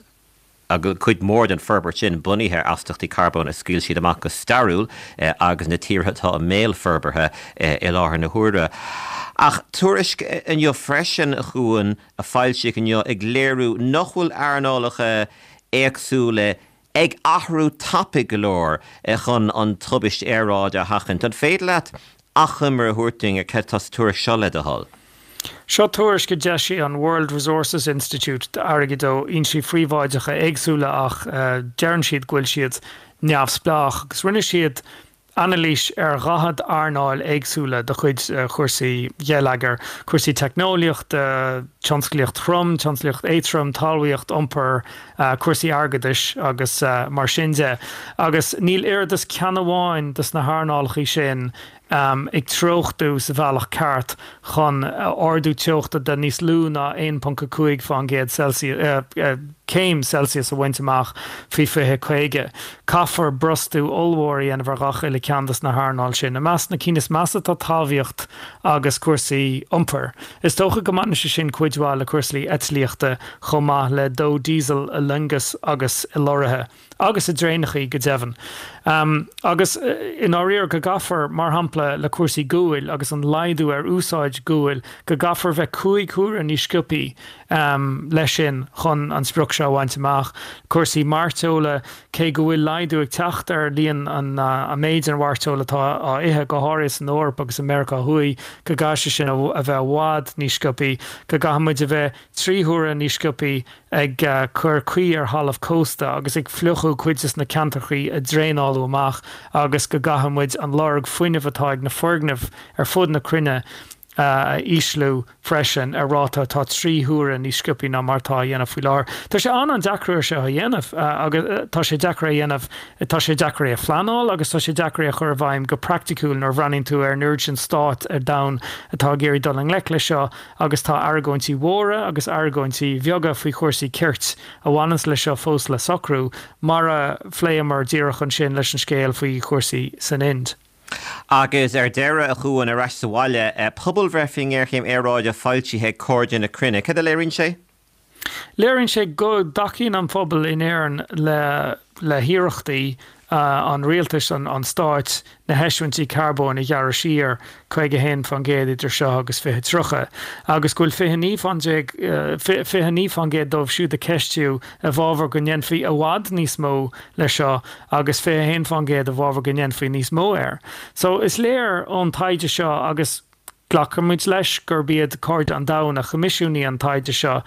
agus cuid mhór den forbairt sin bunaithe ar astaíochtaí carbóin a scaoil siad amach go stairiúil agus na tíortha atá i mbéal forbartha i láthair na huaire. Ach tuairisc inniu freisin a Chuain a foilsíodh inniu ag léiriú nach bhfuil earnálacha éagsúla ag athrú tapaidh go leor chun an tubaist aeráide a sheachaint. An féidir leat achoimre a thabhairt dúinn ar cad tá sa tuairisc seo le do thoil? Seo tuairisc a d'eisigh an World Resources Institute d'airgead ó fhoinsí phríobháideacha éagsúla ach deireann siad go bhfuil siad neamhspleách agus rinne siad anailís ar dhaichead earnáil éagsúla de chuid chúrsaí geilleagair, cúrsaí teicneolaíochta, tionsclaíocht throm, tionsclaíocht éadrom, talmhaíocht, iompar, cúrsaí airgeadais agus mar sin de. Agus níl oiread is ceann amháin de na hearnálacha sin ag treochtú sa bhealach ceart chun ardú teochta de níos lú ná aon ponc a cúig faoin gcéad Celsius, céim Celsius a bhaint amach faoi fiche caoga. Caithfear brostú ollmhór a dhéanamh ar gach uile ceann de na hearnáil sin. I measc na cinn is measa tá talmhaíocht agus cúrsaí iompair. Is dócha go mbaineann sé sin cuid mhaith le cúrsaí eitlíochta chomh maith le dó diesel i loingeas agus i lorraithe. agus i dtraenachaí go deimhin. Agus i ndáiríre go gcaithfear, mar shampla le cúrsaí guail agus an laghdú ar úsáid guail, go gcaithfear bheith cúig huaire níos sciobthaí leis sin chun an sprioc seo a bhaint amach. Cúrsaí mairteola, cé go bhfuil laghdú ag teacht ar líon an méid an mhairteoil atá á ithe, go háirithe san Eoraip agus i Meiriceá Thuaidh, go gcaithfidh sé sin a bheith i bhfad níos sciobthaí, go gcaithfidh muid a bheith trí huaire níos sciobthaí ag cur caoi ar thalamh cósta agus ag fliuchadh cuid de na ceantrachaí a draenálú amach agus go gcaithfidh muid an lorg fuinnimh atá ag na foirgnimh ar fud na cruinne a ísliú freisin ar ráta atá trí huaire níos sciobthaí ná mar atá á dhéanamh faoi láthair. Tá sé an-an-deacair é seo a dhéanamh agus tá sé deacair é a dhéanamh, tá sé deacair é a phleanáil agus tá sé deacair é a chur i bhfeidhm go praiticiúil nuair a bhreathnaíonn tú ar an oiread sin stát ar domhan atá ag iarraidh dul i ngleic leis seo agus tá argóintí mhóra agus argóintí bheaga faoi chúrsaí cirt a bhaineanns leis seo fós le socrú, mar a phléamar díreach ansin leis an scéal faoi chúrsaí san Ind. Agus ar deireadh, a Chuain, ar ais sa bhaile, pobalbhreith faoin ngéarchéim aeráide foilsithe ag Cairde na Cruinne. Cad a léiríonn sé? Léiríonn sé go dtacaíonn an pobal in Éirinn le le hiarrachtaí an rialtais, an stáit, na heisiúintí carbóin a ghearradh siar caoga a haon faoin gcéad idir seo agus fiche tríocha, agus go bhfuil fiche naoi faoin déag, fiche naoi faoin gcéad dóibh siúd a ceistíodh i bhfabhar go ndéanfaí i bhfad níos mó leis seo agus fiche a haon faoin gcéad i bhfabhar go ndéanfaí níos mó air. So is léir ón taighde seo agus glacaimid leis gurb iad Cairde an Domhain a choimisiúnaigh an taighde seo,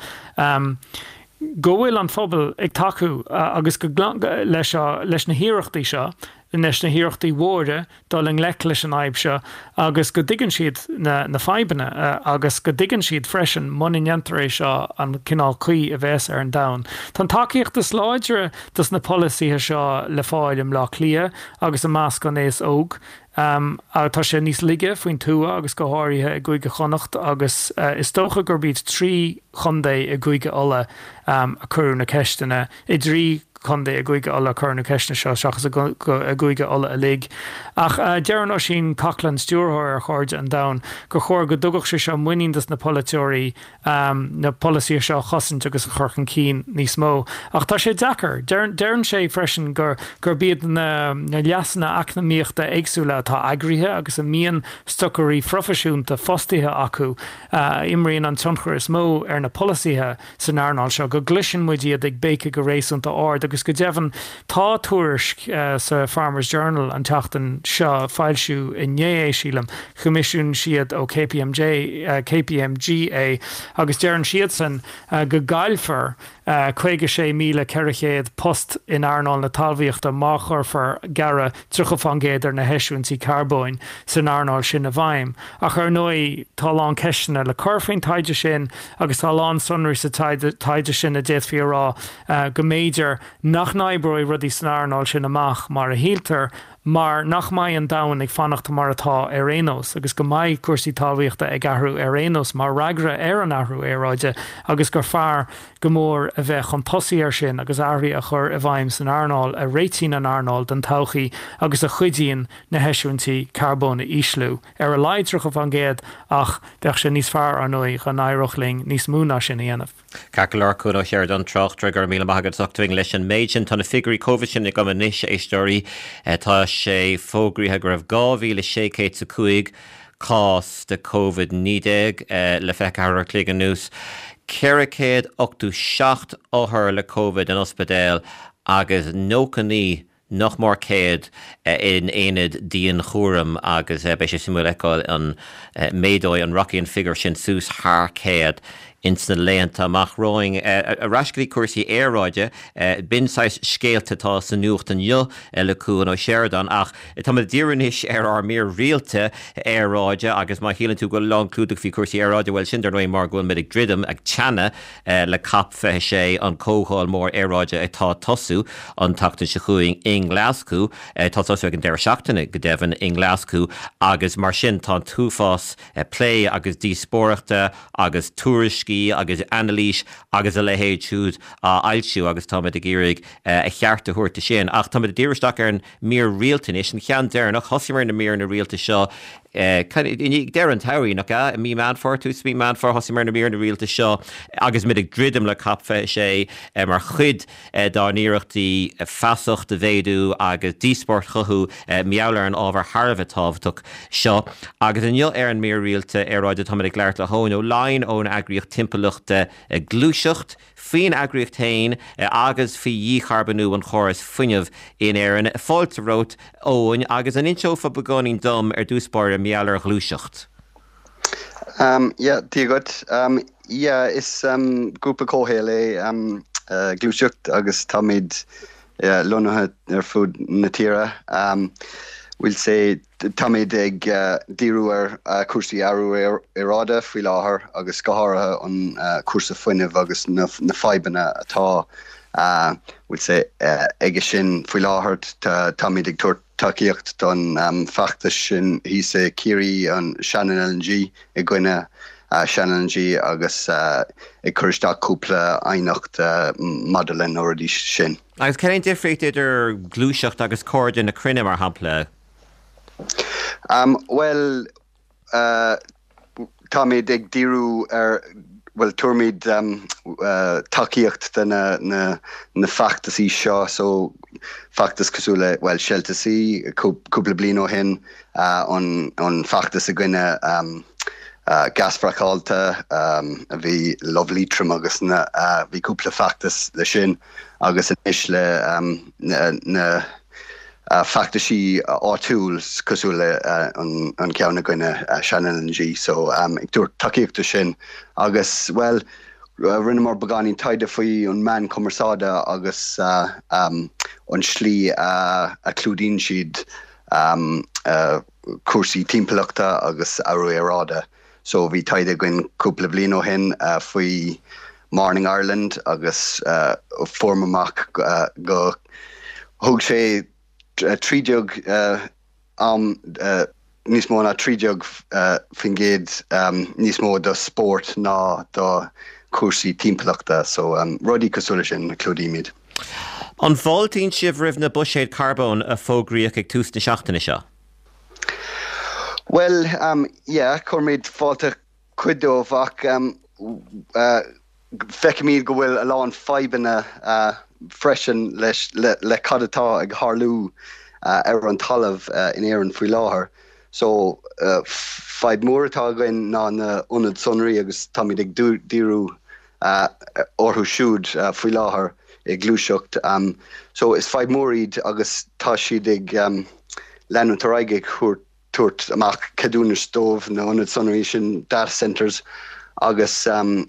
go bhfuil an phobal ag tacú agus go leis seo, leis na hiarrachtaí seo, leis na hiarrachtaí mhóra dul i ngleic leis an fhadhb seo agus go dtuigeann siad na na fadhbanna agus go dtuigeann siad freisin muna ndéantar é seo an cineál caoi a bheas ar an domhan. Tá an tacaíocht is láidre dos na polasaithe seo le fáil i mBleá Cliath agus i measc an aos óg. Tá sé níos laige faoin tuath agus go háirithe i gCúige Chonnacht agus is dócha gurb iad trí chontae i gCúige Uladh a cuireadh na ceisteanna, i dtrí chontae i gCúige Uladh a cuireadh na ceisteanna seo seachas i gCúige Uladh uilig. Ach deireann Oisín Coghlan, stiúrthóir ar Chairde an Domhain, gur chóir go dtugfadh sé seo muinín dos na polaiteoirí na polasaithe seo a chosaint agus a chur chun cinn níos mó. Ach tá sé deacair. Deireann sé freisin gur gurb iad na leasanna eacnamaíochta éagsúla atá eagraithe agus a mbíonn stocairí phroifisiúnta fostaithe acu a imríonn an tionchar is mó ar na polasaithe san earnáil seo, go gcloiseann muid iad ag béiceadh go réasúnta ard agus go deimhin tá tuairisc sa Farmers Journal an tseachtain seo, foilsíodh inné é sílim, Choimisiúnaigh siad ó KPMG, KPMG é agus deireann siadsan go gcaillfear caoga sé míle ceithre chéad post in earnáil na talmhaíochta má chuirfear gearradh tríocha faoin gcéad ar na heisiúintí carbóin san earnáil sin i bhfeidhm. Ach ar ndóigh tá a lán ceisteanna le cur faoin taighde sin agus tá a lán sonraí sa taighde sin a d'fhéadfaí a rá go mb'fhéidir nach n-oibreoidh rudaí san earnáil sin amach mar a shíltear. mar nach mbeidh an domhan ag fanacht mar atá ar aon nós agus go mbeidh cúrsaí talmhaíochta ag athrú ar aon nós mar fhreagra ar an athrú aeráide agus gur fearr go mór a bheith chun tosaigh air sin agus athruithe a chur i bhfeidhm san earnáil a réitíonn an earnáil don todhchaí agus a chuidíonn na heisiúintí carbóin a ísliú ar a laghad tríocha faoin gcéad ach bheadh sé níos fearr ar ndóigh dá n-éireodh linn níos mó ná sin a dhéanamh. Ceart go leor Cuan Ó Seireadáin tráchtaire go raibh míle maith agat as ucht leis an méid sin tá na figiúirí Covid sin agam anois éisteoirí tá sé fógraithe go raibh dhá mhíle sé chéad a cúig cás de Covid naoi déag le fiche ceathair uair a chloig anuas, ceithre chéad ochtó seacht othar le Covid in ospidéal agus nócha naoi nach mór céad in aonad dianchúraim agus beidh sé suimiúil fheiceáil an méadóidh an rachaidh an figiúr sin suas thar céad ins na laethanta amach romhainn. Ar ais go dtí cúrsaí aeráide, b'in saghas scéalta atá sa nuacht inniu le Cuan Ó Seireadáin ach táimid ag díriú anois ar ár mír rialta aeráide agus má shíleann tú go bhfuil lánchlúdach faoi chúrsaí aeráide, bhuel sin dar ndóigh mar go bhfuil muid ag druidim, ag teannadh le Cop fiche sé, an comhdháil mór aeráide atá ag tosú an tseachtain seo chugainn i nGlaschú, atá ag tosú ag an deireadh seachtaine go deimhin i nGlaschú agus mar sin tá an t-uafás plé agus díospóireachta agus tuairiscí agus anailís agus a leithéid siúd á fhoilsiú agus táimid ag iarraidh a cheart a thabhairt do sin. Ach táimid ag díriú isteach ar an mír rialta anois, an ceann deireanach. Thosaíomar na míreanna rialta seo ag deireadh an tsamhraidh, nach ea? I mí Meán Fómhair, tús mí Meán Fómhair, thosaíomar na míreanna rialta seo agus muid ag druidim le Cop fiche sé mar chuid dár n-iarrachtaí feasacht a mhéadú agus díospóireacht a chothú mar gheall ar an ábhar thar a bheith tábhachtach seo. Agus inniu ar an mír rialta aeráide táimid ag labhairt le hEoin Ó Laighin ón eagraíocht timpeallachta Gluaiseacht, faoin eagraíocht féin agus faoi dhícharbónú an chórais fuinnimh in Éirinn. Fáilte romhat, Eoin, agus an inseofá beagáinín dom ar dtús báire mar gheall ar Ghluaiseacht? Um, yeah, Dia dhuit. Um, yeah, is um, grúpa comhshaoil é um, uh, Gluaiseacht agus táimid yeah, lonnaithe ar fud na tíre. Um, we'll say táimid ag uh, díriú ar uh, cúrsaí athrú aeráide faoi láthair agus go háirithe an uh, cúrsa fuinnimh agus na, na fadhbanna atá uh, we'll say uh, aige sin faoi láthair táimid ag tabhairt tacaíocht don um, feachtas sin thíos i Ciarraí an Shannon L N G i gcoinne uh, Shannon L N G agus uh, ag cur isteach cúpla aighneacht uh, maidir leis na rudaí sin. Agus cén difríocht idir Gluaiseacht agus Cairde na Cruinne mar shampla? Um, well uh, táimid ag díriú ar well tugaimid um, uh, tacaíocht de na, na, na feachtasaí seo so feachtas cosúil le well Shelter C cúpla bliain ó shin uh, an, an feachtas i gcoinne um, uh, gás fraiceáilte um, a bhí Love Leitrim agus na uh, bhí cúpla feachtas le sin agus anois le um, na, na uh, feachtasaí áitiúil cosúil le uh, an, an ceann i gcoinne uh, Shannon L N G so um, ag tabhairt tacaíocht sin agus well uh, rinneamar beagáinín taighde faoi an meán cumarsáide agus uh, um, an slí uh, a clúdaíonn siad um, uh, cúrsaí timpeallachta agus athrú aeráide. So bhí taighde againn cúpla bliain ó shin uh, faoi Morning Ireland agus uh, fuair amach uh, go thug sé trí déag uh, am uh, níos mó ná trí déag uh, faoin gcéad um, níos mó do spórt ná do cúrsaí timpeallachta, so um, rudaí cosúil sin clúdaímid. An bhfáiltíonn sibh roimh na buiséid carbóin a fógraíodh ag tús na seachtaine seo? Well, um, yeah, cuirimid fáilte cuid dóibh ach um, uh, feicimid go bhfuil a lán fadhbanna uh, freisin leis le, le cad atá ag tarlú uh, ar an talamh uh, in Éirinn faoi láthair. So uh, fadhb mór atá againn ná na ionaid sonraí agus táimid ag díriú uh, orthu siúd uh, faoi láthair i Gluaiseacht. Um, so is fadhb mór iad agus tá siad ag um, leanúint ar aghaidh ag tabhairt amach ceadúnas dóibh na ionaid sonraí sin data centers agus um,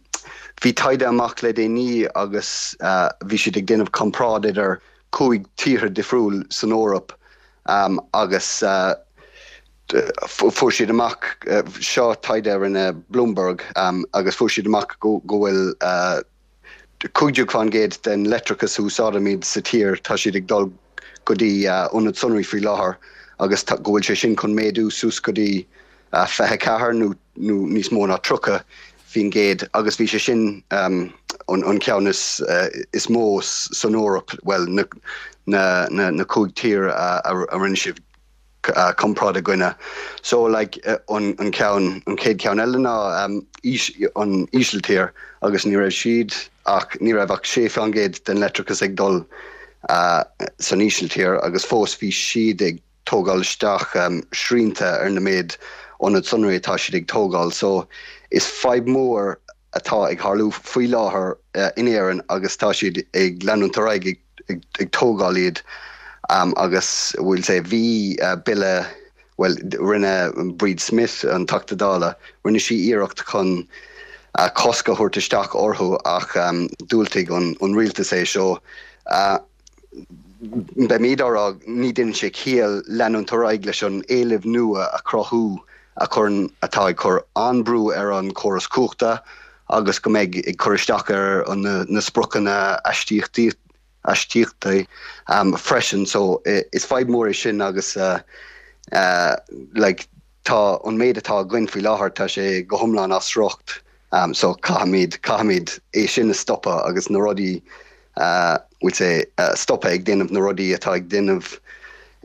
bhí taighde amach le déanaí agus uh, bhí siad ag déanamh comparáid idir cúig tíortha difriúil san Eoraip um, agus uh, fuair siad amach uh, seo taighde rinne Bloomberg um, agus fuair siad amach go go bhfuil uh, cúig déag faoin gcéad den leictreachas úsáidimid sa tír tá siad ag dul go dtí ionaid sonraí faoi láthair agus go bhfuil sé sin chun méadú suas go dtí fiche ceathair nó níos mó ná tríocha faoin gcéad agus bhí sé sin an ceann is mó san Eoraip, bhuel na cúig tír a rinne siad comparáid i gcoinne. So like an ceann, an chéad ceann eile ná an Ísiltír agus ní raibh siad ach, ní raibh ach sé faoin gcéad den leictreachas ag dul san Ísiltír agus fós bhí siad ag tógáil isteach srianta ar na méid ionad sonraí atá siad ag tógáil. So is fadhb mhór atá ag tharlú faoi láthair in Éirinn agus tá siad ag leanúint ar aghaidh ag ag tógáil iad agus we'll say bhí bille, bhuel rinne Bríd Smith, an Teachta Dála, rinne sí iarracht chun cosc a thabhairt isteach orthu ach dhiúltaigh an rialtas é so beimid á rá ní dhéanann sé ciall leanúint ar aghaidh leis an éileamh nua a chruthú a chuireann, atá ag cur an-brú ar an chóras cumhachta agus go mbeidh ag cur isteach ar na spriocanna aistíochtaí aistíochtaí freisin. So is fadhb mhór é sin agus like tá an méid atá againn faoi láthair tá sé go hiomlán as riocht so caithfimid caithfimid é sin a stopadh agus na rudaí we'll say stopadh ag déanamh na rudaí atá ag déanamh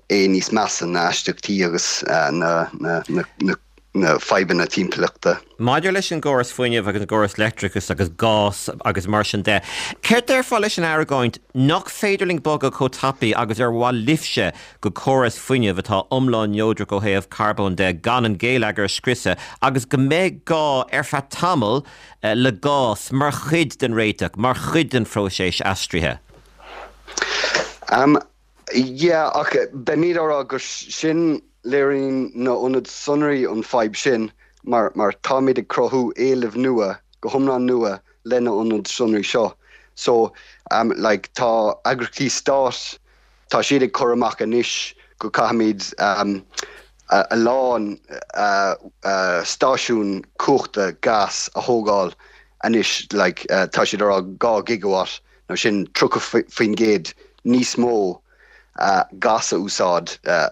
é níos measa na aistíochtaí agus na na na na na fadhbanna timpeallachta. Maidir leis an gcóras fuinnimh agus an gcóras leictreachais agus gás agus mar sin de, céard déarfá leis an argóint nach féidir linn bogadh chomh tapaidh agus ar mhaith libhse go córas fuinnimh atá iomlán neodrach ó thaobh carbóin de gan an geilleagar a scriosadh agus go mbeidh gá ar feadh tamaill le gás mar chuid den réiteach, mar chuid den phróiseas aistrithe? Um, yeah, ach beimid á rá gur sin léiríonn na ionaid sonraí an fadhb sin mar mar táimid ag cruthú éileamh nua, go hiomlán nua le na ionaid sonraí seo. So um, like, tá eagraíochtaí stáit, tá siad ag cur amach anois go caithfimid um, a, a lán uh, uh, stáisiún cumhachta gas a thógáil anois, like, uh, tá siad ar rá dhá gigawatt, nó sin tríocha faoin gcéad níos mó uh, gas a úsáid uh,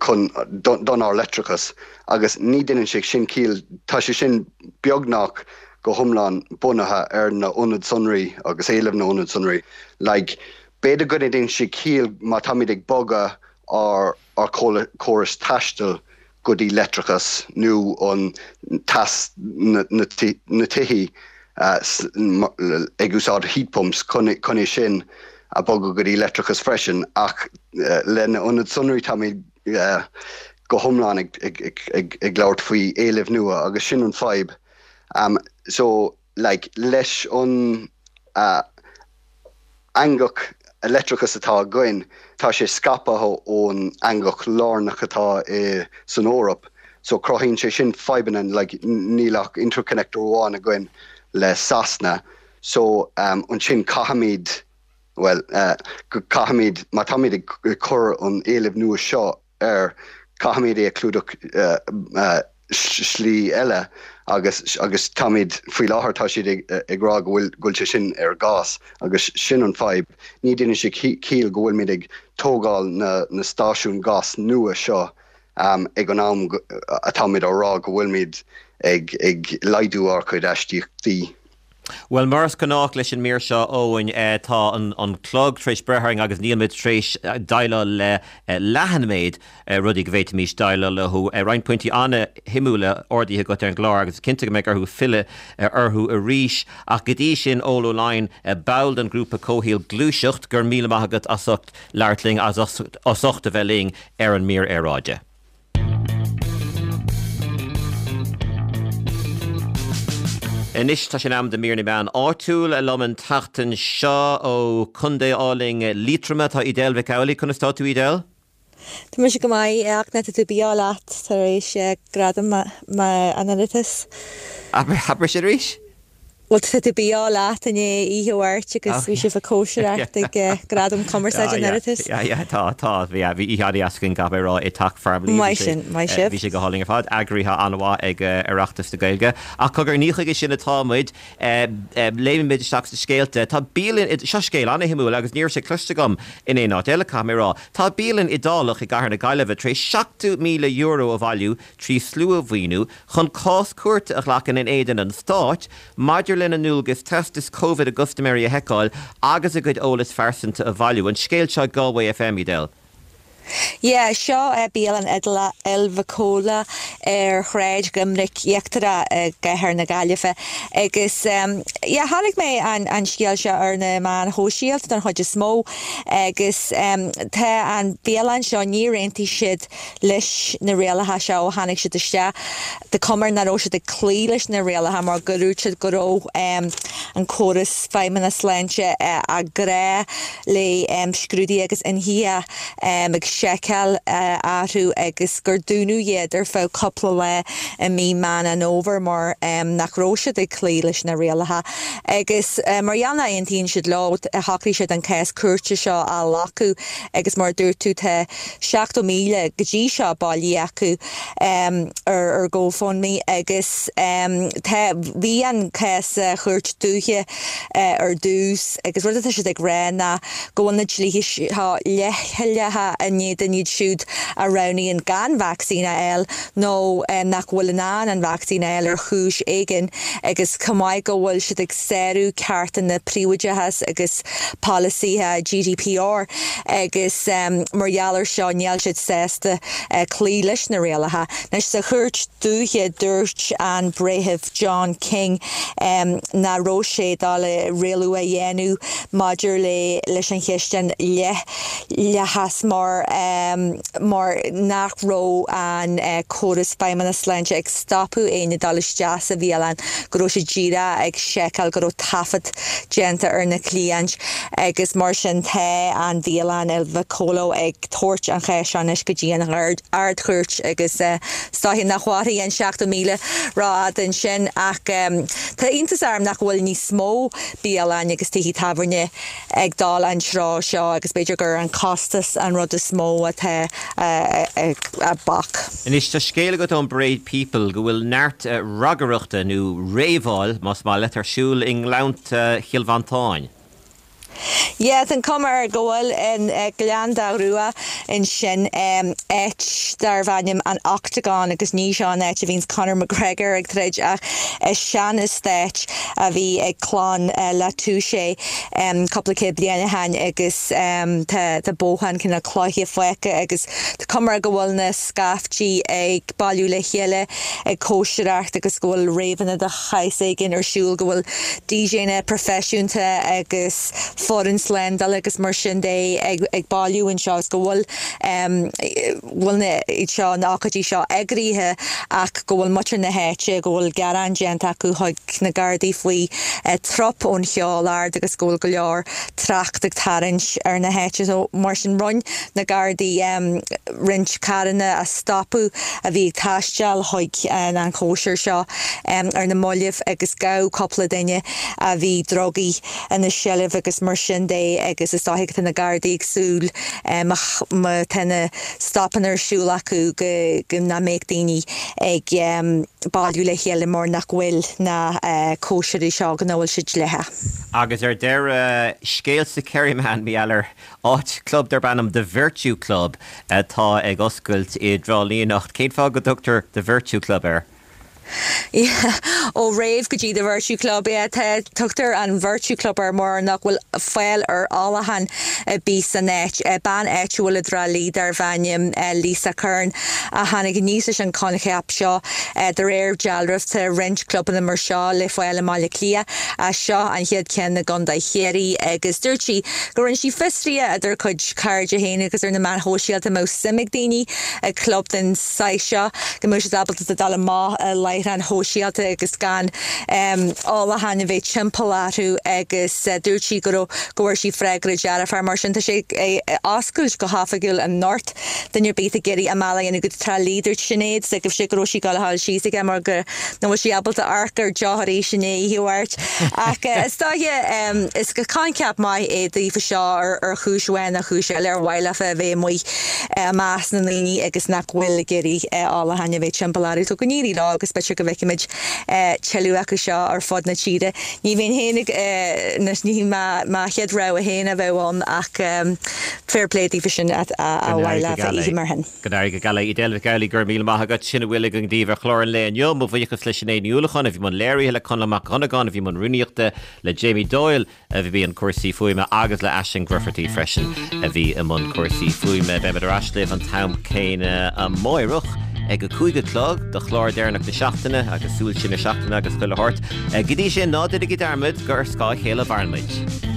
chun don ár leictreachas agus ní dhéanann sé sin ciall, tá sé sin beagnach go hiomlán bunaithe ar na ionaid sonraí agus éileamh na ionad sonraí. Like, b'fhéidir go ndéanann sé ciall má táimid ag bogadh ár ár córas taistil go dtí leictreachas nó an teas na na tithí ag úsáid heat pumps chun é sin a bogadh go dtí leictreachas freisin ach le na ionaid sonraí táimid go hiomlán ag ag ag labhairt faoi éileamh nua agus sin an fadhb. Um, so like, leis an uh, eangach leictreachas atá againn, tá sé scaipthe ón eangach lárnach atá i san Eoraip, so cruthaíonn sé sin fadhbanna like, níl ach interconnector amháin againn le Sasana, so um, ansin caithfimid well, uh, caithfimid má táimid ag cur an éileamh nua seo air caithfimid é a chlúdach uh, uh, slí eile agus agus táimid faoi láthair tá siad ag ag rá go bhfuil go bhfuil sé sin ar gas agus sin an fadhb. Ní dhéanann sé ciall go bhfuilimid ag tógáil na na stáisiún gas nua seo um, ag an am atáimid á rá go bhfuilimid ag ag laghdú ár gcuid aistíochtaí. Bhuel, mar is gnách leis an mír seo, Eoin, tá an clog tar éis breith orainn agus nílimid tar éis déileáil le leath an méid rudaí go bhféadfaimis déileáil leo. Roinnt pointí an-shuimiúla ardaithe agat ar an gclár agus cinnte go mbeidh orthu filleadh orthu arís. Ach go dtí sin, Eoin Ó Laighin, ball den ghrúpa comhshaoil Gluaiseacht, go raibh míle maith agat as ucht labhairt linn, as ucht a bheith linn ar an mír aeráide. Anois tá sé in am do mír na meán áitiúil liom an tseachtain seo ó Chontae álainn Liatroma tá Edel Mhic Amhlaigh. Conas tá tú Edel? Tá mise go maith ach tá tú bíá leat tar éis gradam an Oireachtais. Abair sin arís? Bhuel tá tú beo leat inné oíche Mháirt agus bhí sibh ag cóisireacht ag Gradaim Cumarsáide an Oireachtais. Tá tá bhí bhí oíche an-deas againn caithfidh mé a rá i dTeach Farmleigh. Maith sin, maith sibh. Bhí sé go hálainn ar fad, eagraithe an-mhaith ag Oireachtas na Gaeilge. Ach cogar ní chuige sin atá muid, léimfimid isteach sna scéalta. Tá bialann, seo scéal an-shuimiúil agus ní raibh sé cloiste agam in aon áit eile caithfidh mé a rá. Tá bialann Iodálach i gCathair na Gaillimhe tar éis seachtó míle euro a bhailiú trí slua-mhaoiniú chun cás cúirte a ghlacadh in éadan an stáit maidir lena ndualgas teastas Covid a gcustaiméirí a sheiceáil agus a gcuid eolas phearsanta a bhailiú. An scéal seo Galway FM, Edel. Yeah, seo é bialann Iodálach Il Vicolo ar Shráid Dhoiminic Íochtarach i gCathair na Gaillimhe agus um, yeah, chonaic mé an, an scéal seo ar na meáin shóisialta den chuid is mó agus um, tá an bialann seo níor aontaigh siad leis na rialacha seo ó tháinig siad isteach. Tá cuma air nach raibh siad ag cloí leis na rialacha mar go dúirt siad go raibh um, an córas feidhmeannas sláinte uh, a grá le um, scrúduithe agus ionsaithe um, ag seiceáil uh, orthu agus gur dúnadh iad ar feadh cúpla lá i mí Meán an Fhómhair mar um, nach raibh siad ag cloí leis na rialacha. Agus uh, mar gheall nach n-aontaíonn siad leo shocraigh siad an cás cúirte seo a ghlacadh agus mar dúirt tú tá seachtó míle go dtí seo bailithe acu um, ar ar GoFundMe agus um, tá bhí an cás sa chúirt dúiche uh, ar dtús agus rud atá siad ag rá ná go bhfuil na dlíthe seo leithleach in éadan iad siúd a roghnaíonn gan vacsaín a fháil nó um, nach bhfuil in ann an vacsaín a fháil ar chúis éigin agus chomh maith go bhfuil siad ag sárú cearta na príobháideachas agus polasaithe GDPR agus um, mar gheall air seo níl siad sásta uh, cloí leis na rialacha. Anois sa chúirt dúiche dúirt an breitheamh John King um, nach raibh sé dul le rialú a dhéanamh maidir le leis an cheist an leithleachas mar um, mar nach raibh an uh, córas feidhmeannas sláinte ag stopadh éinne dul isteach sa bhialann go raibh sé díreach ag seiceáil go raibh taifead déanta ar na cliaint agus mar sin tá an bhialann Il Vicolo ag tabhairt an cheist anois go dtí an ardchúirt agus uh, is dóiche nach mhairfidh an seachtó míle rófhada ansin ach um, tá iontas orm nach bhfuil níos mó bialann agus tithe tábhairne ag dul an treo seo agus b'fhéidir gur an costas an rud is mó atá uh, a bac. Anois tá scéal agat ón Bray People go bhfuil neart uh, ragaireachta nó réabáil más maith leat ar siúl i nGleannta Chill Mhantáin. Yeah, an cuma air go bhfuil in uh, Gleann Dá Rua ansin um, áit darbh ainm an Octagon agus ní seo an áit a bhíonns Conor McGregor ag troid ach is sean-eastát a bhí ag clann uh, La Touche um, cúpla céad bliain ó shin agus um, tá tá bóthán cineál cloiche fágtha agus tá cuma air go bhfuil na scaiftí ag bailiú le chéile ag cóisireacht agus go bhfuil réabhanna de shaghas éigin ar siúl go bhfuil DJanna proifisiúnta agus foireann slándála agus mar sin de ag, ag bailiú anseo go bhfuil um, bhfuil na seo na ócáidí seo eagraithe ach go bhfuil muintir na háite go bhfuil gearán déanta acu chuig na Gardaí faoi uh, trup ón cheol ard agus go bhfuil go leor trácht ag tarraingt ar na háite so mar sin rinne na Gardaí um, roinnt carranna a stopadh a bhí ag taisteal chuig an an chóisir seo um, ar na mallaibh agus gabhadh cúpla duine a bhí drugaí ina seilbh agus mar sin de agus is dóiche tá na Gardaí ag súil um, má tá na stopanna ar siúl acu go go nach mbeidh daoine ag um, bailiú le chéile mar nach bhfuil na uh, cóisirí seo go bhfuil siad dleathach. Agus ar deireadh scéal sa Kerryman Mieller áit club darb ainm The Virtue Club atá ag oscailt i dTrá Lí anocht. Cén fáth go dtugtar The Virtue Club air? ó rave go dtí the Virtue Club yeah, tugtar an Virtue Club ar mar nach bhfuil fáil ar ólachán bí san áit bean áitiúil i dTrá Lí darbh ainm Lisa Kern a tháinig aníos leis an coincheap seo de réir dealraimh tá roinnt clubanna mar seo le fáil i mBaile Átha Cliath a seo an chéad cheann i gContae Chiarraí agus dúirt sí go rinne sí fiosruithe idir cuid cairde féin agus ar na meáin shóisialta má suim ag daoine ag club den saghas seo go mbeadh siad ábalta dul amach le láithreáin shóisialta agus gan ólachán a bheith timpeall orthu agus dúirt sí go raibh go bhfuair sí freagra dearfach mar sin tá sé ag oscailt go hoifigiúil anocht duine ar bith ag iarraidh a mbealach a dhéanamh go Trá Lí dúirt Sinéad go raibh sé go raibh sí ag gabháil a dhul síos aige mar go nach bhfuil sí ábalta amharc ar deoch arís i ndiaidh oíche Mháirt. Ach is dóiche is coincheap maith é daofa seo ar chúis amháin nó chúis eile ar mhaith leofa a bheith amuigh i measc na ndaoine agus nach bhfuil ag iarraidh ólachán a bheith timpeall orthu. So go n-éirí leo agus b'fhéidir go bhfeicfimid tuilleadh acu seo ar fud na tíre. Ní bheinn féin ag, ní hí mo chéad rogha féin a bheadh ann ach fair play daofa sin a mhaith leofa oíche mar shin. Go n-éirí go geal leo. Edel Mhic Amhlaigh, go raibh míle maith agat. Sin a bhfuil againn daoibh ar chlár an lae inniu. Mo bhuíochas le Sinéad Ní Uallacháin a bhí i mbun léirithe, le Conall Mac Dhonnagáin a bhí i mbun rúnaíochta, le Jamie Doyle a bhí i mbun cúrsaí fuaime agus le Aisling Grufferty freisin a bhí i mbun cúrsaí fuaime. Beimid ar ais libh an t-am céanna amáireach ag a cúig a chlog do chlár deireanach na seachtaine agus súil siar na seachtaine agus chuile shórt. Go dtí sin, ná déanaigí dearmad gur ar scáth a chéile a mhaireann muid.